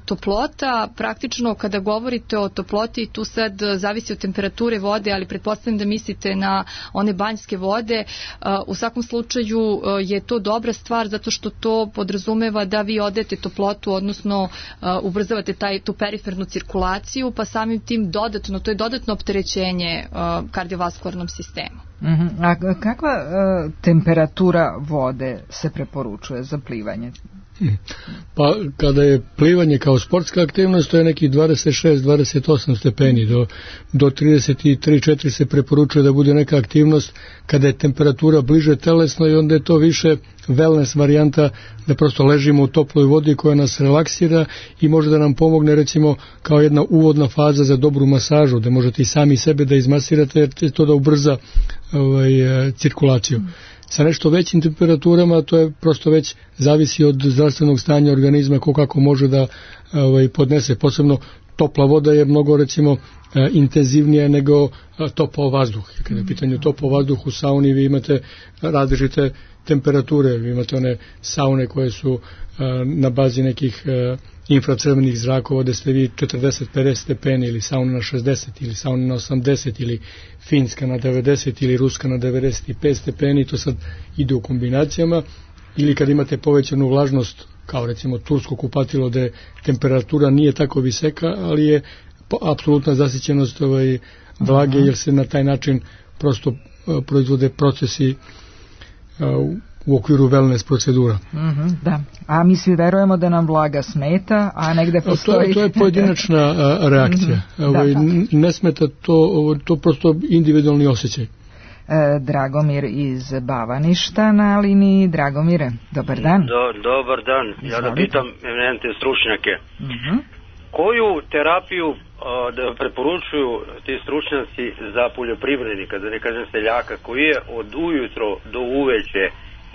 toplota, praktično kada govorite o toploti, tu sad zavisi od temperature vode, ali pretpostavljam da mislite na one banjske vode, u svakom slučaju je to dobra stvar zato što to podrazumeva da vi odete toplotu, odnosno ubrzavate taj, tu perifernu cirkulaciju, pa samim tim dodatno, to je dodatno opterećenje kardiovaskularnom sistemu. Uh-huh. A kakva uh, temperatura vode se preporučuje za plivanje? Pa kada je plivanje kao sportska aktivnost, to je neki dvadeset šest do dvadeset osam stepeni, do, do trideset tri četiri se preporučuje da bude neka aktivnost kada je temperatura bliže telesno i onda je to više wellness varijanta, da prosto ležimo u toploj vodi koja nas relaksira i može da nam pomogne recimo kao jedna uvodna faza za dobru masažu, da možete i sami sebe da izmasirate jer će to da ubrza ovaj, cirkulaciju. Mm. Sa nešto većim temperaturama to je prosto već zavisi od zdravstvenog stanja organizma ko kako može da ovaj, podnese. Posebno topla voda je mnogo recimo intenzivnija nego topao vazduh. Kada je pitanje topao vazduh u sauni vi imate različite temperature, vi imate one saune koje su na bazi nekih infracrvenih zrakova da ste vi četrdeset do pedeset stepeni ili sauna na šezdeset ili sauna na osamdeset ili finska na devedeset ili ruska na devedeset pet stepeni, to sad ide u kombinacijama, ili kad imate povećanu vlažnost kao recimo tursko kupatilo da temperatura nije tako visoka, ali je apsolutna zasićenost ovaj, vlage jer se na taj način prosto proizvode procesi u okviru wellness procedura. Mm-hmm, da. A mi svi verujemo da nam vlaga smeta, a negde postoji... To, to je pojedinačna a, reakcija. Mm-hmm, ovaj, da, da. Ne smeta to, to prosto individualni osjećaj. E, Dragomir iz Bavaništa na liniji. Dragomire, dobar dan. Do, dobar dan. Izvolite. Ja da pitam eminentne stručnjake. Mm-hmm. Koju terapiju a, da preporučuju ti stručnjaci za poljoprivrednika, da ne kažem seljaka, koji je od ujutro do uveče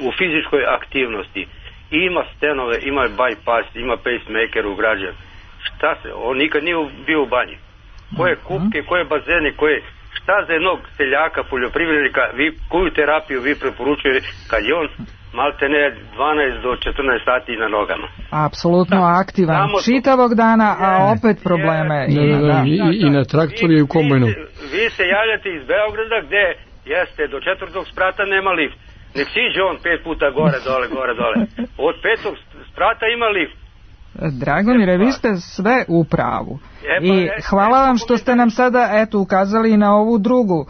u fizičkoj aktivnosti, ima stenove, ima bypass, ima pacemaker ugrađen. Šta se, on nikad nije bio u banji. Koje kupke, koje bazene, koje, šta za jednog seljaka, poljoprivrednika, vi, koju terapiju vi preporučujete kad je on malte ne dvanaest do četrnaest sati na nogama? Apsolutno da, aktivan čitavog dana, a opet probleme. Je, i, da, i, i, I na traktoru i u kombajnu. Vi, vi se javljate iz Beograda gde jeste do četvrtog sprata nema lift. Nek siđe on pet puta gore, dole, gore, dole. Od petog sprata ima lift. Dragomire, vi ste sve u pravu. I hvala vam što ste nam sada eto ukazali na ovu drugu,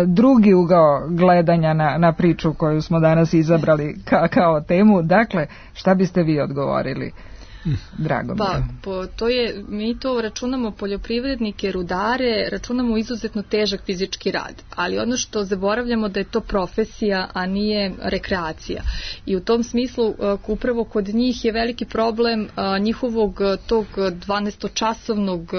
drugi ugao gledanja na, na priču koju smo danas izabrali ka, kao temu. Dakle, šta biste vi odgovorili? Drago pa, po, to je, mi to računamo poljoprivrednike, rudare, računamo izuzetno težak fizički rad, ali ono što zaboravljamo da je to profesija, a nije rekreacija. I u tom smislu upravo kod njih je veliki problem njihovog tog dvanaestočasovnog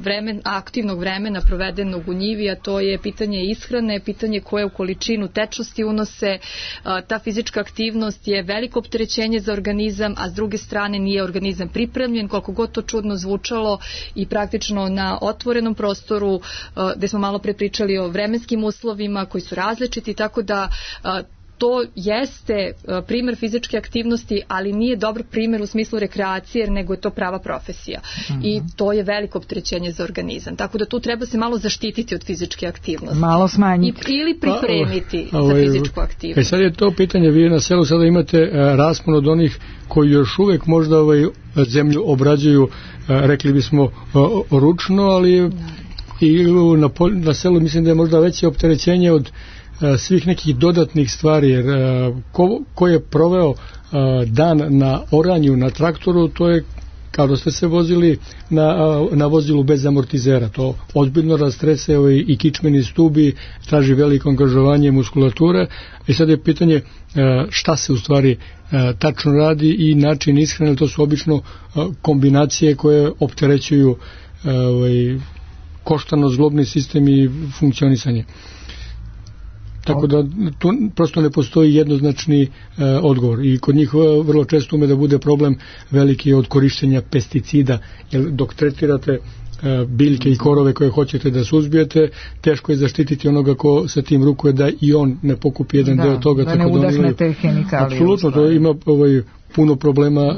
vremena, aktivnog vremena provedenog u njivi, a to je pitanje ishrane, pitanje koje u količinu tečnosti unose. Ta fizička aktivnost je veliko opterećenje za organizam, a s druge strane nije organizam pripremljen, koliko god to čudno zvučalo, i praktično na otvorenom prostoru gde smo malo pre pričali o vremenskim uslovima koji su različiti, tako da to jeste primer fizičke aktivnosti, ali nije dobar primer u smislu rekreacije, nego je to prava profesija. Mm-hmm. I to je veliko opterećenje za organizam. Tako da tu treba se malo zaštititi od fizičke aktivnosti. Malo smanjiti. I, ili pripremiti a, a, za fizičku aktivnost. E sad je to pitanje, vi na selu sada imate a, raspon od onih koji još uvek možda ovaj, zemlju obrađuju, a, rekli bismo, a, ručno, ali da. I na, na selu mislim da je možda veće opterećenje od svih nekih dodatnih stvari, jer ko, ko je proveo dan na oranju na traktoru, to je kao da ste se vozili na, na vozilu bez amortizera. To ozbiljno rastrese i kičmeni stubi, traži veliko angažovanje muskulature. I sad je pitanje šta se u stvari tačno radi i način ishrane. To su obično kombinacije koje opterećuju ovaj, koštano-zglobni sistem i funkcionisanje. Tako da tu prosto ne postoji jednoznačni e, odgovor i kod njih vrlo često ume da bude problem veliki od korištenja pesticida, jer dok tretirate e, biljke i korove koje hoćete da suzbijete, teško je zaštititi onoga ko sa tim rukuje da i on ne pokupi jedan da, deo toga. Da ne udahnete hemikalije. Apsolutno, to ima ovaj, puno problema uh,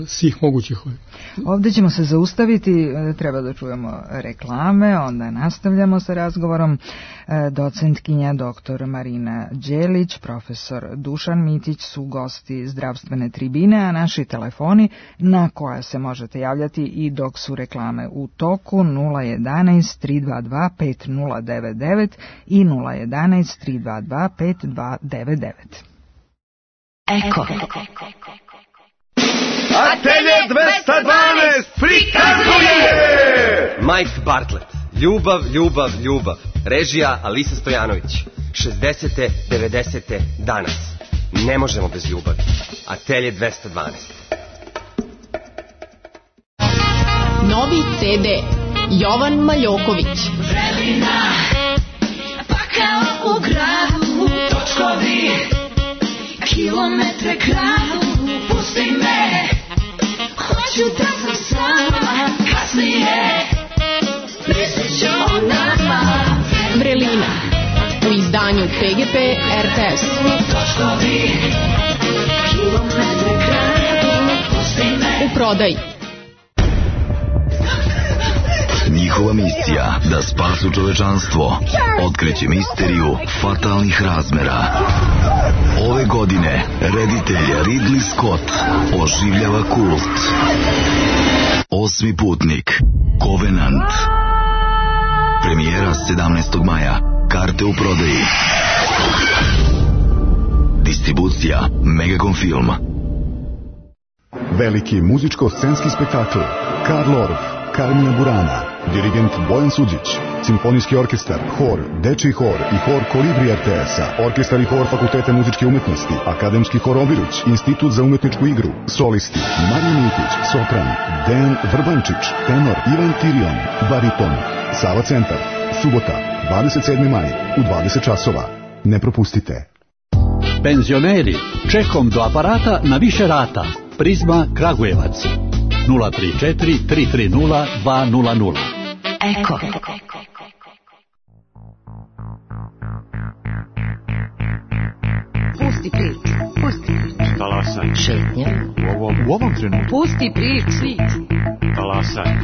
svih mogućih. Ovdje ćemo se zaustaviti, treba da čujemo reklame, onda nastavljamo sa razgovorom. Docentkinja doktor Marina Đelić, profesor Dušan Mitić su gosti zdravstvene tribine, a naši telefoni na koja se možete javljati i dok su reklame u toku nula jedanaest tri dva dva pet nula devet devet i nula jedanaest tri dva dva pet dva devet devet. Eko. Atelje dvesta dvanaest prikazuje Mike Bartlett, Ljubav, ljubav, ljubav. Režija Alisa Stojanović. šezdesete, devedesete danas. Ne možemo bez ljubavi. Atelje dvesta dvanaest. Novi ce de Jovan Maljoković. Vrelina, pa kao u gradu, točkovi, kilometre kradu, pusti me, hoću da sam sama, kasnije, mislit ću o nama. Vrelina, u izdanju pe ge pe er te es. Točkovi, kilometre kradu, pusti me. U prodaji. Njihova misija da spasu čovečanstvo, otkriće misteriju fatalnih razmera. Ove godine reditelj Ridley Scott oživljava kult. Osmi putnik, Covenant. Premijera sedamnaestog maja. Karte u prodaji. Distribucija Megacom Film. Veliki muzičko-scenski spektakl Karl Orff, Carmina Burana, dirigent Bojan Suđić, simfonijski orkestar, hor, dečiji hor i hor Kolibri er te es-a, orkestar i hor Fakulteta muzičke umetnosti, akademski hor Obiruć, institut za umetničku igru, solisti, Marija Miletić, sopran, Dejan Vrbančić, tenor, Ivan Tirion, bariton, Sava centar, subota, dvadeset sedmi maj, u dvadeset časova. Ne propustite. Penzioneri, čekom do aparata na više rata. Prizma Kragujevac. nula tri četiri tri tri nula dva nula nula. Eko. Pusti priču. Pusti priču. Talasaj. Šetnja. U ovom, u ovom trenutku. Pusti priču. Talasaj.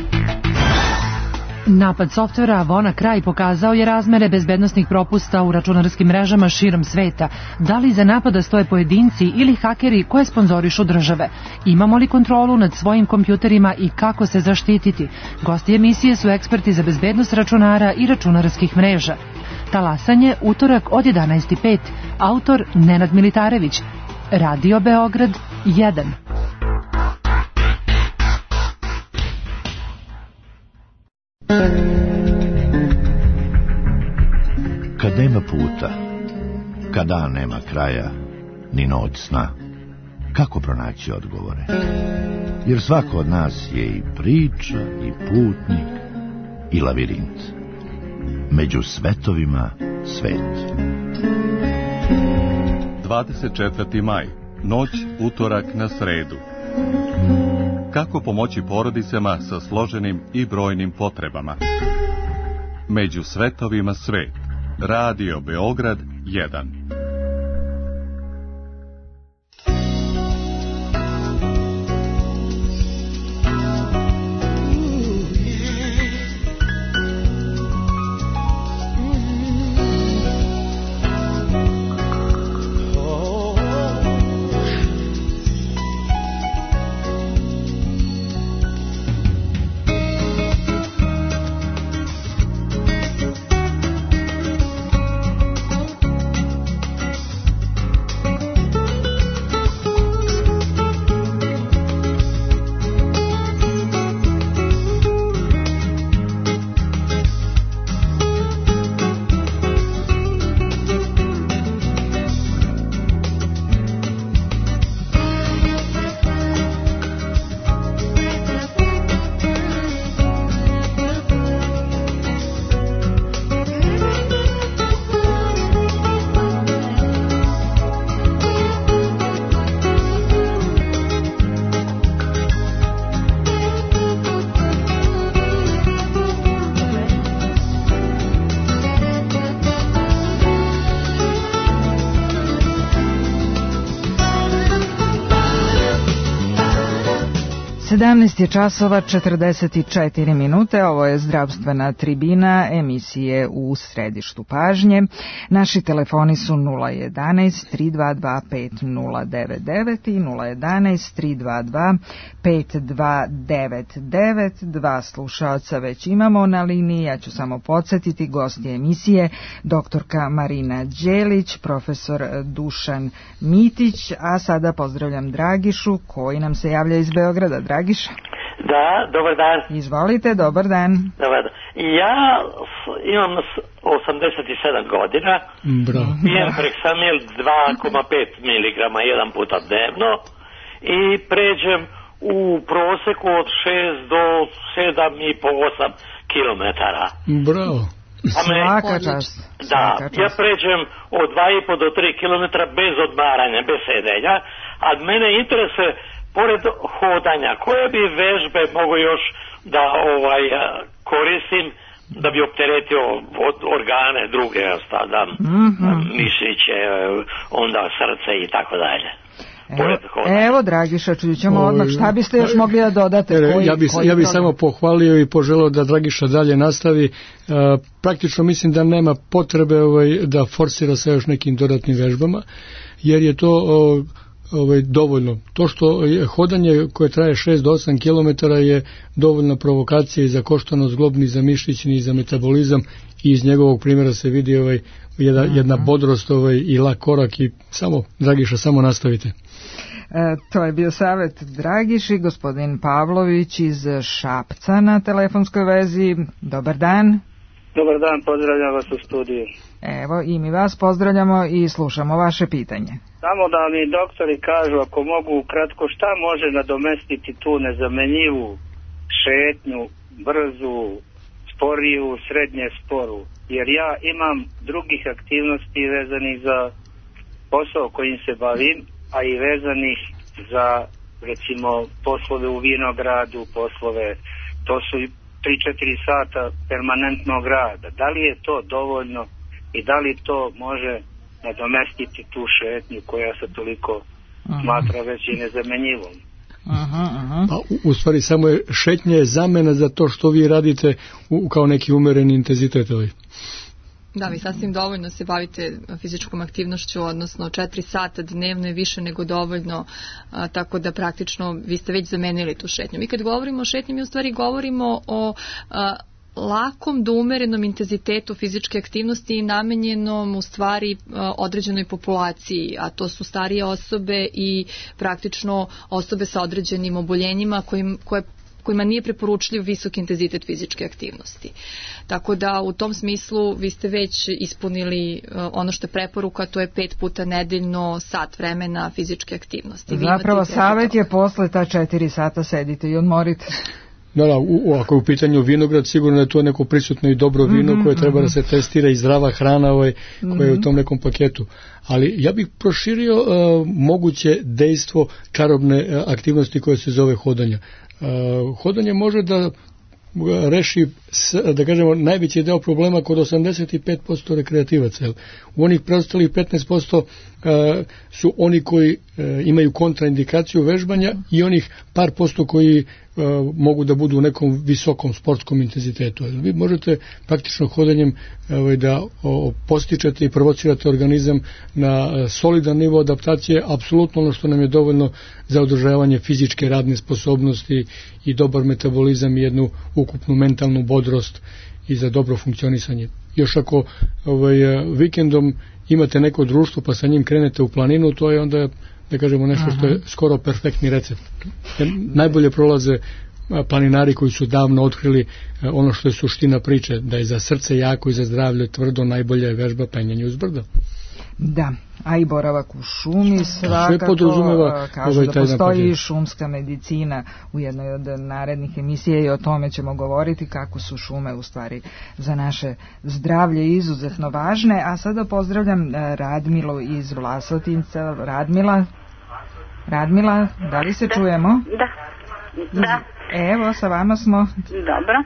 Napad softvera WannaCry pokazao je razmere bezbednosnih propusta u računarskim mrežama širom sveta. Da li iza napada stoje pojedinci ili hakeri koje sponzorišu države? Imamo li kontrolu nad svojim kompjuterima i kako se zaštititi? Gosti emisije su eksperti za bezbednost računara i računarskih mreža. Talasanje, utorak od jedanaest i pet. Autor Nenad Militarević. Radio Beograd jedan. Kad nema puta, kad dan nema kraja, ni noć sna, kako pronaći odgovore? Jer svako od nas je i priča, i putnik, i lavirint. Među svetovima svet. dvadeset četvrti maj, noć utorak na sredu. Kako pomoći porodicama sa složenim i brojnim potrebama? Među svetovima svet. Radio Beograd jedan. sedamnaest je časova četrdeset četiri minute, ovo je zdravstvena tribina emisije U središtu pažnje. Naši telefoni su nula jedanaest tri dva dva pet nula devet devet i nula jedanaest tri dva dva pet dva devet devet. Dva slušaoca već imamo na liniji, ja ću samo podsjetiti, gosti emisije doktorka Marina Đelić, profesor Dušan Mitić, a sada pozdravljam Dragišu koji nam se javlja iz Beograda. Dragiša? Da, dobar dan. Izvolite, dobar dan. Dobar dan. Ja imam osamdeset sedam godina, Bravo. pijem Prexamil dva zarez pet miligrama jedan puta dnevno i pređem u proseku od šest do sedam i po osam kilometara. Bravo. Svaka čast. Da, ja pređem od dva i po do tri kilometra bez odmaranja, bez sedenja, a mene interesuje pored hodanja, koje bi vežbe mogu još da ovaj koristim da bi opteretio od organe druge, stavljam mm-hmm. mišiće, onda srce i tako dalje. Evo, evo Dragiša, čućemo odmah, šta biste još mogli da dodate? Koji, ja bih ja bi samo pohvalio i poželeo da Dragiša dalje nastavi. Uh, praktično mislim da nema potrebe ovaj, da forsira sa još nekim dodatnim vežbama, jer je to uh, ovaj, dovoljno. To što je hodanje koje traje šest do osam kilometara je dovoljna provokacija i za koštanost zglobni, za mišićni i za metabolizam, i iz njegovog primjera se vidi ovaj, jedna, jedna bodrost ovaj, i lak korak i samo, Dragiša, samo nastavite. E, to je bio savjet Dragiši. Gospodin Pavlović iz Šapca na telefonskoj vezi. Dobar dan. Dobar dan, pozdravljam vas u studiju. Evo, i mi vas pozdravljamo i slušamo vaše pitanje. Samo da mi doktori kažu, ako mogu kratko, šta može nadomestiti tu nezamenjivu šetnju, brzu, sporiju, srednje sporu? Jer ja imam drugih aktivnosti vezanih za posao kojim se bavim, a i vezanih za, recimo, poslove u vinogradu, poslove, to su tri do četiri sata permanentnog rada. Da li je to dovoljno i da li to može nadomestiti tu šetnju koja se toliko aha. smatra već i nezamenjivom? Aha, aha. Pa, u, u stvari samo je šetnja je zamena za to što vi radite u, kao neki umereni intenzitet ovaj. Da, vi sasvim dovoljno se bavite fizičkom aktivnošću, odnosno četiri sata dnevno je više nego dovoljno, a, tako da praktično vi ste već zamenili tu šetnju. Mi kad govorimo o šetnji, mi u stvari govorimo o a, lakom do umerenom intenzitetu fizičke aktivnosti i namenjenom u stvari određenoj populaciji, a to su starije osobe i praktično osobe sa određenim oboljenjima kojim, koje kojima nije preporučljiv visok intenzitet fizičke aktivnosti. Tako da u tom smislu vi ste već ispunili ono što je preporuka, to je pet puta nedeljno sat vremena fizičke aktivnosti. Zapravo savjet je posle ta četiri sata sedite i odmorite. Da, da, u, ako je u pitanju vinograd, sigurno je to neko prisutno i dobro vino mm-hmm, koje treba mm-hmm. da se testira i zdrava hrana ovaj, koja mm-hmm. je u tom nekom paketu. Ali ja bih proširio uh, moguće dejstvo karobne uh, aktivnosti koje se zove hodanja. Uh, hodanje može da reši, da kažemo, najveći deo problema kod osamdeset pet posto rekreativaca. U onih preostalih petnaest posto uh, su oni koji uh, imaju kontraindikaciju vežbanja i onih par posto koji uh, mogu da budu u nekom visokom sportskom intenzitetu. Vi možete praktično hodanjem uh, da uh, postičete i provocirate organizam na uh, solidan nivo adaptacije, apsolutno ono što nam je dovoljno za održavanje fizičke radne sposobnosti i dobar metabolizam i jednu ukupnu mentalnu bodrost i za dobro funkcionisanje. Još ako ovaj, vikendom imate neko društvo pa sa njim krenete u planinu, to je onda, da kažemo, nešto što je skoro perfektni recept. Najbolje prolaze planinari koji su davno otkrili ono što je suština priče, da je za srce jako i za zdravlje tvrdo najbolja je vežba penjanje uz brdo. Da, a i boravak u šumi svakako, kažu ovaj da postoji i šumska medicina u jednoj od narednih emisija i o tome ćemo govoriti kako su šume u stvari za naše zdravlje izuzetno važne. A sada pozdravljam Radmilu iz Vlasotinca. Radmila, Radmila, da li se čujemo? Da, da. Evo, sa vama smo. Dobro.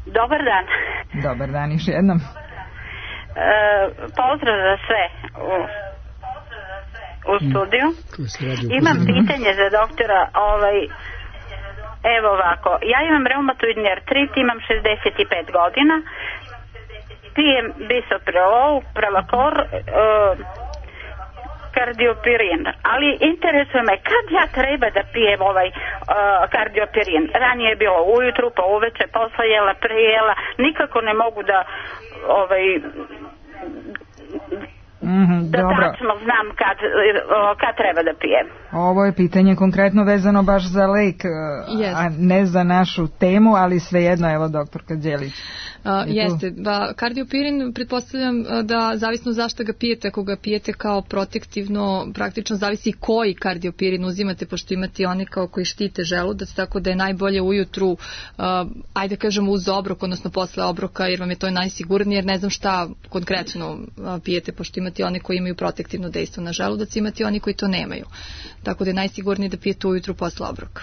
Dobar dan. Dobar dan još jednom. E, pozdrav za sve u, u studiju. Imam pitanje za doktora. Ovaj, Evo ovako, ja imam reumatoidni artrit, imam šezdeset pet godina, pijem bisoprolol, prelakor, uh, kardiopirin, ali interesuje me kad ja treba da pijem ovaj uh, kardiopirin. Ranije je bilo ujutru, pa uveče, posle jela, pre jela, nikako ne mogu da ovaj Mm-hmm, da dobro. tačno znam kad, kad treba da pijem. Ovo je pitanje konkretno vezano baš za lek, yes. a ne za našu temu, ali svejedno, evo doktorka Đelić. Uh, jeste, ba, kardiopirin pretpostavljam da zavisno zašto ga pijete, ako ga pijete kao protektivno, praktično zavisi koji kardiopirin uzimate, pošto imate oni kao koji štite želudac, tako da je najbolje ujutru, uh, ajde kažemo uz obrok, odnosno posle obroka, jer vam je to najsigurnije, jer ne znam šta konkretno uh, pijete, pošto imate oni koji imaju protektivno dejstvo na želudac, imate oni koji to nemaju. Tako da je najsigurnije da pijete ujutru posle obroka.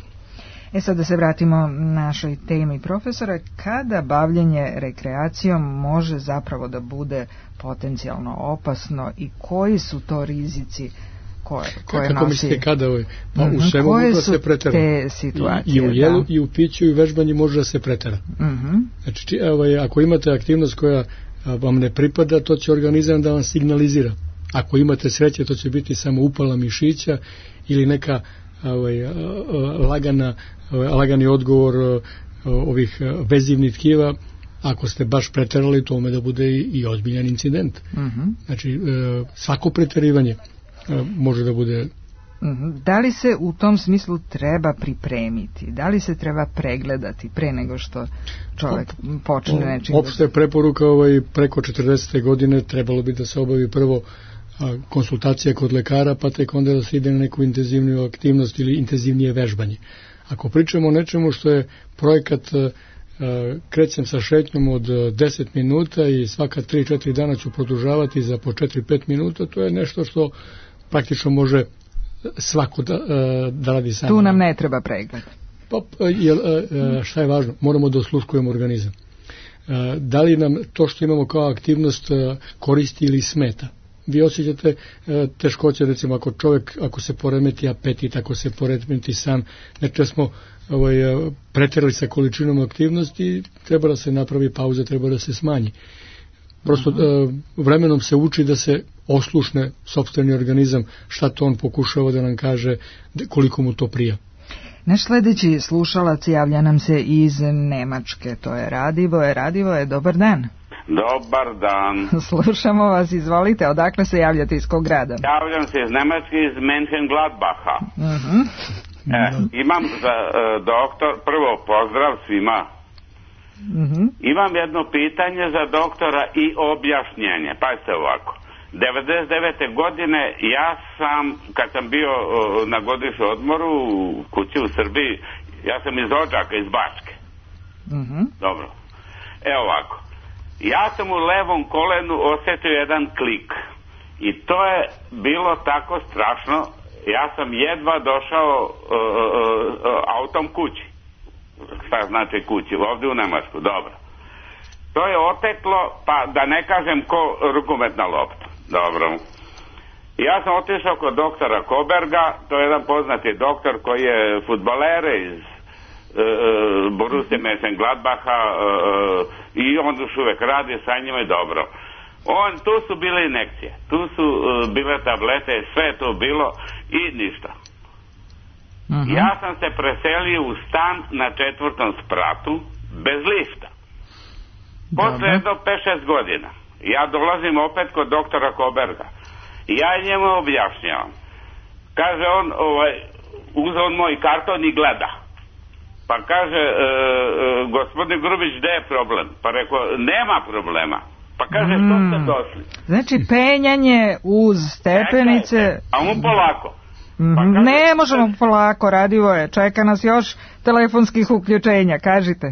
E sad da se vratimo našoj temi, profesora, kada bavljenje rekreacijom može zapravo da bude potencijalno opasno i koji su to rizici koje, koje Kako nosi? mislite kada ovaj? Pa Mm-hmm. u svemu koje može da su se pretera. te situacije? I, i u jelu, da. i u piću, i u vežbanju može da se pretera. Mm-hmm. Znači, či, ovaj, ako imate aktivnost koja vam ne pripada, to će organizam da vam signalizira. Ako imate sreće, to će biti samo upala mišića ili neka ovaj, lagana, lagani odgovor ovih vezivnih tkiva. Ako ste baš preterali, to ume da bude i, i ozbiljan incident. Mm-hmm. Znači, svako preterivanje može da bude... Mm-hmm. Da li se u tom smislu treba pripremiti? Da li se treba pregledati pre nego što čovjek počne nečim? Opšte preporuka ovaj, preko četrdesete godine trebalo bi da se obavi prvo konsultacija kod lekara, pa tek onda da se ide na neku intenzivniju aktivnost ili intenzivnije vežbanje. Ako pričamo o nečemu što je projekat krećem sa šetnjom od deset minuta i svaka tri četiri dana ću produžavati za po četiri pet minuta, to je nešto što praktično može svako da, da radi samo. Tu nam ne treba pregled. Pa, jel, šta je važno? Moramo da osluškujemo organizam. Da li nam to što imamo kao aktivnost koristi ili smeta? Vi osjećate teškoće, recimo ako čovjek, ako se poremeti apetit, ako se poremeti san, znači smo ovaj, preterali sa količinom aktivnosti, treba da se napravi pauza, treba da se smanji. Prosto uh, vremenom se uči da se oslušne sopstveni organizam, šta to on pokušava da nam kaže, koliko mu to prija. Naš sledeći slušalac javlja nam se iz Nemačke, to je Radivoje. Radivoje, dobar dan. Dobar dan. Slušamo vas, izvolite, odakle se javljate, iz kog grada? Javljam se iz Nemačke, iz Mönchengladbacha. Uh-huh. E, imam za uh, doktor, prvo pozdrav svima. Uh-huh. Imam jedno pitanje za doktora i objašnjenje. Pazite ovako. devedeset devete godine ja sam, kad sam bio uh, na godišnjem odmoru u kući u Srbiji, ja sam iz Odžaka, iz Bačke. Uh-huh. Dobro. Evo ovako. Ja sam u levom kolenu osjetio jedan klik. I to je bilo tako strašno. Ja sam jedva došao uh, uh, uh, autom kući. Šta znači kući? Ovdje u Nemačku. Dobro. To je oteklo, pa da ne kažem ko rukometna lopta. Dobro. Ja sam otišao kod doktora Koberga. To je jedan poznati doktor koji je fudbaler iz Uh, Borussia Mönchengladbacha uh, i on još uvek radi sa njima i dobro. On, tu su bile injekcije, tu su uh, bile tablete, sve je to bilo i ništa. Uh-huh. Ja sam se preselio u stan na četvrtom spratu bez lifta. Posle jedno pet šest godina ja dolazim opet kod doktora Koberga i ja njemu objašnjavam. Kaže on, ovaj, uzeo on moj karton i gleda. Pa kaže, e, e, gospodin Grubić, gde je problem? Pa rekao, nema problema. Pa kaže, što ste došli? Znači, penjanje uz stepenice... Čekajte, a on polako. Pa kaže, ne možemo polako, Radivoje, čeka nas još telefonskih uključenja, kažite.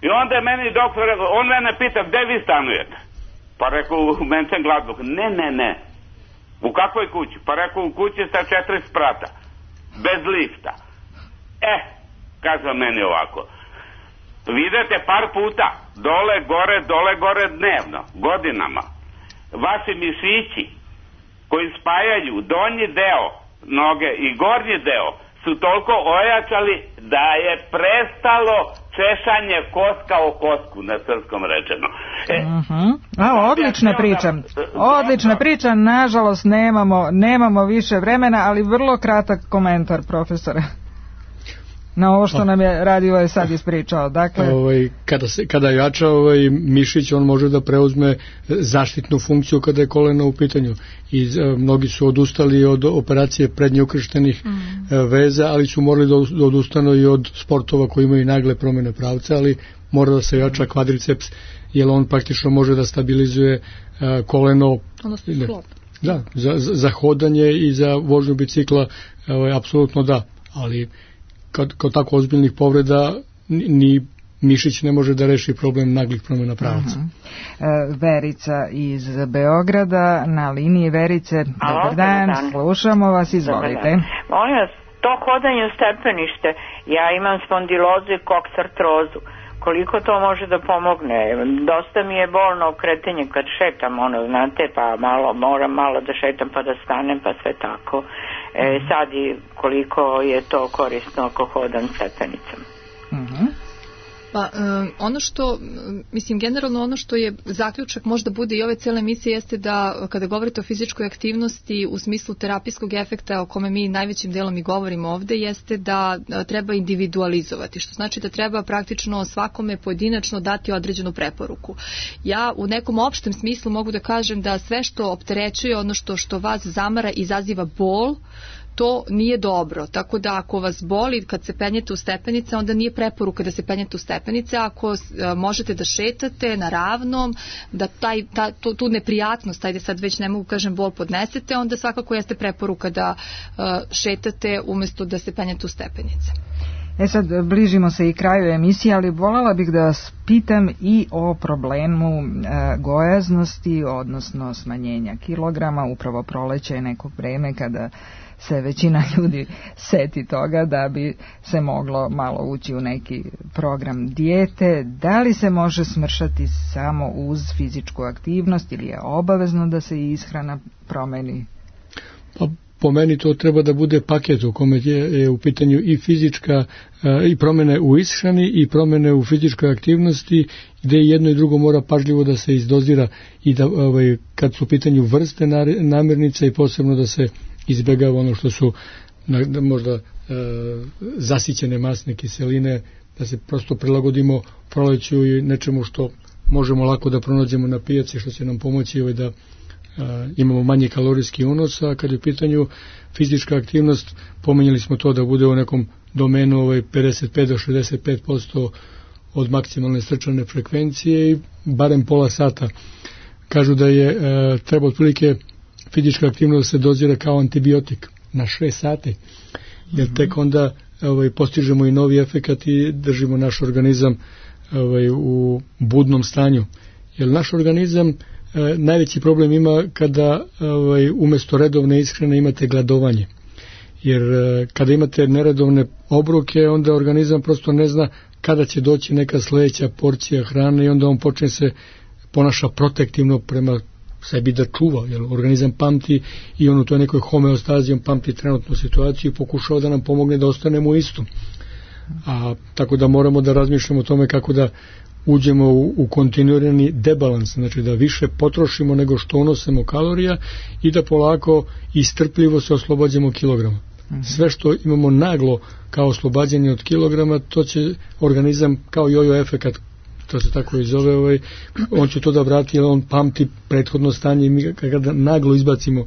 I onda je meni doktor rekao, on mene pita, gde vi stanujete? Pa rekao, u Mönchengladbachu. Ne, ne, ne. U kakvoj kući? Pa rekao, u kući sa četiri sprata. Bez lifta. E, kaže meni ovako, vidite par puta, dole, gore, dole, gore dnevno, godinama, vaši mišići koji spajaju donji deo noge i gornji deo su toliko ojačali da je prestalo češanje koska o kosku, na srpskom rečeno. E, uh-huh. A, odlična priča. Odlična priča, nažalost nemamo, nemamo više vremena, ali vrlo kratak komentar, profesore, na ovo što nam je Radio sad ispričao. Dakle, ovaj, kada, se, kada jača ovaj, mišić, on može da preuzme zaštitnu funkciju kada je koleno u pitanju. I e, mnogi su odustali od operacije prednje ukrštenih mm. veza, ali su morali da odustanu i od sportova koji imaju nagle promjene pravca, ali mora da se jača kvadriceps, jer on praktično može da stabilizuje e, koleno. Odnosno sklop. Da, za, za hodanje i za vožnju bicikla, ovaj, apsolutno da, ali Kad, kod tako ozbiljnih povreda ni mišić ne može da reši problem naglih promjena pravaca. Uh-huh. Verica iz Beograda na liniji. Verice, dobar dan, dan, slušamo vas, izvolite. Molim vas, to hodanje u stepenište, ja imam spondilozu i koksartrozu. Koliko to može da pomogne? Dosta mi je bolno okretanje kad šetam, ono, znate, pa malo, moram malo da šetam pa da stanem, pa sve tako. E, sad i koliko je to korisno ako hodam stepenicama. Mhm. Pa um, ono što, mislim generalno ono što je zaključak možda bude i ove cele emisije jeste da kada govorite o fizičkoj aktivnosti u smislu terapijskog efekta o kome mi najvećim delom i govorimo ovde jeste da treba individualizovati, što znači da treba praktično svakome pojedinačno dati određenu preporuku. Ja u nekom opštem smislu mogu da kažem da sve što opterećuje ono što, što vas zamara izaziva bol, to nije dobro, tako da ako vas boli kad se penjete u stepenice, onda nije preporuka da se penjete u stepenice, ako možete da šetate na ravnom, da taj, ta, tu, tu neprijatnost, ajde sad već ne mogu kažem bol podnesete, onda svakako jeste preporuka da uh, šetate umjesto da se penjete u stepenice. E sad, bližimo se i kraju emisije, ali voljela bih da vas pitam i o problemu e, gojaznosti, odnosno smanjenja kilograma. Upravo proleće je neko vreme kada se većina ljudi seti toga da bi se moglo malo ući u neki program dijete. Da li se može smršati samo uz fizičku aktivnost ili je obavezno da se ishrana promeni? Pa po meni to treba da bude paket u kome je, je u pitanju i fizička i promjene u ishrani i promjene u fizičkoj aktivnosti, gdje jedno i drugo mora pažljivo da se izdozira i da ovaj, kad su u pitanju vrste namirnica i posebno da se izbjegava ono što su na, možda e, zasićene masne kiseline, da se prosto prilagodimo proleću i nečemu što možemo lako da pronađemo na pijaci, što će nam pomoći ovaj, da Uh, imamo manje kalorijski unos, a kad je u pitanju fizička aktivnost, pomenjali smo to da bude u nekom domenu ovaj, pedeset pet do šezdeset pet posto od maksimalne srčane frekvencije i barem pola sata. Kažu da je uh, treba otprilike fizička aktivnost da se dozira kao antibiotik na šest sati, jer mm-hmm. tek onda ovaj, postižemo i novi efekat i držimo naš organizam ovaj, u budnom stanju. Jer naš organizam E, najveći problem ima kada ovaj, umjesto redovne ishrane imate gladovanje, jer e, kada imate neredovne obroke, onda organizam prosto ne zna kada će doći neka sljedeća porcija hrane i onda on počne se ponaša protektivno prema sebi da čuva, jer organizam pamti i on u toj nekoj homeostazi on pamti trenutnu situaciju i pokušava da nam pomogne da ostanemo isto. A tako da moramo da razmišljamo o tome kako da uđemo u, u kontinuirani debalans, znači da više potrošimo nego što unosimo kalorija i da polako i strpljivo se oslobađamo kilograma. Mm-hmm. Sve što imamo naglo kao oslobađanje od kilograma, to će organizam kao jojo efekat, to se tako i zove, ovaj, on će to da vrati, jer on pamti prethodno stanje i mi kada naglo izbacimo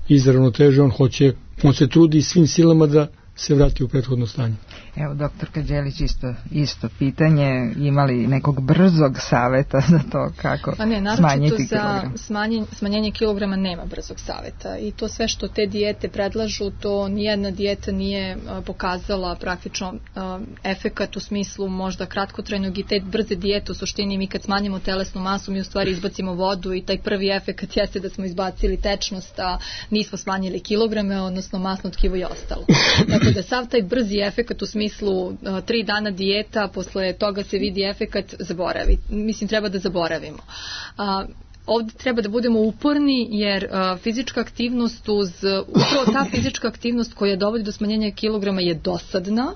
iz ravnoteže, on hoće, on se trudi svim silama da se vrati u prethodno stanje. Evo, doktor Kađelić, isto, isto pitanje, imali nekog brzog saveta za to kako pa ne, smanjiti za kilogram? Smanjenje, smanjenje kilograma nema brzog saveta i to sve što te dijete predlažu, to nijedna dijeta nije a, pokazala praktično a, efekat u smislu možda kratkotrajnog i te brze dijete u suštini mi kad smanjimo telesnu masu mi u stvari izbacimo vodu i taj prvi efekat jeste da smo izbacili tečnost, a nismo smanjili kilograme, odnosno masno tkivo je ostalo. Tako da sav taj brzi efekat u smislu tri dana dijeta, posle toga se vidi efekat, zaboravi. Mislim, treba da zaboravimo. A, ovdje treba da budemo uporni jer uh, fizička aktivnost uz, upravo ta fizička aktivnost koja dovodi do smanjenja kilograma je dosadna.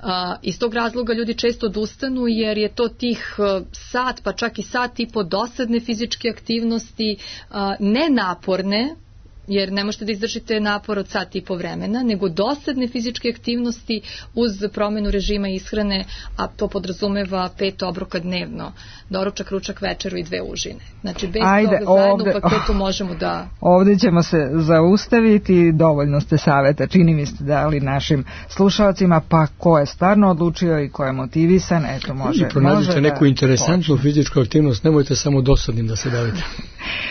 Uh, iz tog razloga ljudi često odustanu jer je to tih uh, sat pa čak i sat i po dosadne fizičke aktivnosti, uh, nenaporne, jer ne možete da izdržite napor od sat i po vremena, nego dosadne fizičke aktivnosti uz promenu režima ishrane, a to podrazumeva pet obroka dnevno, doručak, ručak, večeru i dve užine. Znači, bez Ajde, toga zajedno ovde, u paketu možemo da... Ovdje ćemo se zaustaviti, dovoljno ste savjeta, čini mi ste dali našim slušalcima, pa ko je stvarno odlučio i ko je motivisan, eto može... Pronađite može neku da interesantnu počne. fizičku aktivnost, nemojte samo dosadnim da se bavite.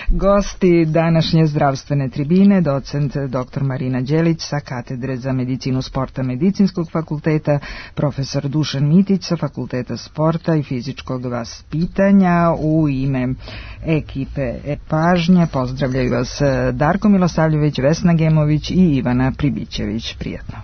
Gosti današnje zdravstvene tribine, docent dr. Marina Đelić sa katedre za medicinu sporta Medicinskog fakulteta, profesor Dušan Mitić sa Fakulteta sporta i fizičkog vaspitanja. U ime ekipe Pažnje pozdravljaju vas Darko Milosavljević, Vesna Gemović i Ivana Pribićević. Prijatno.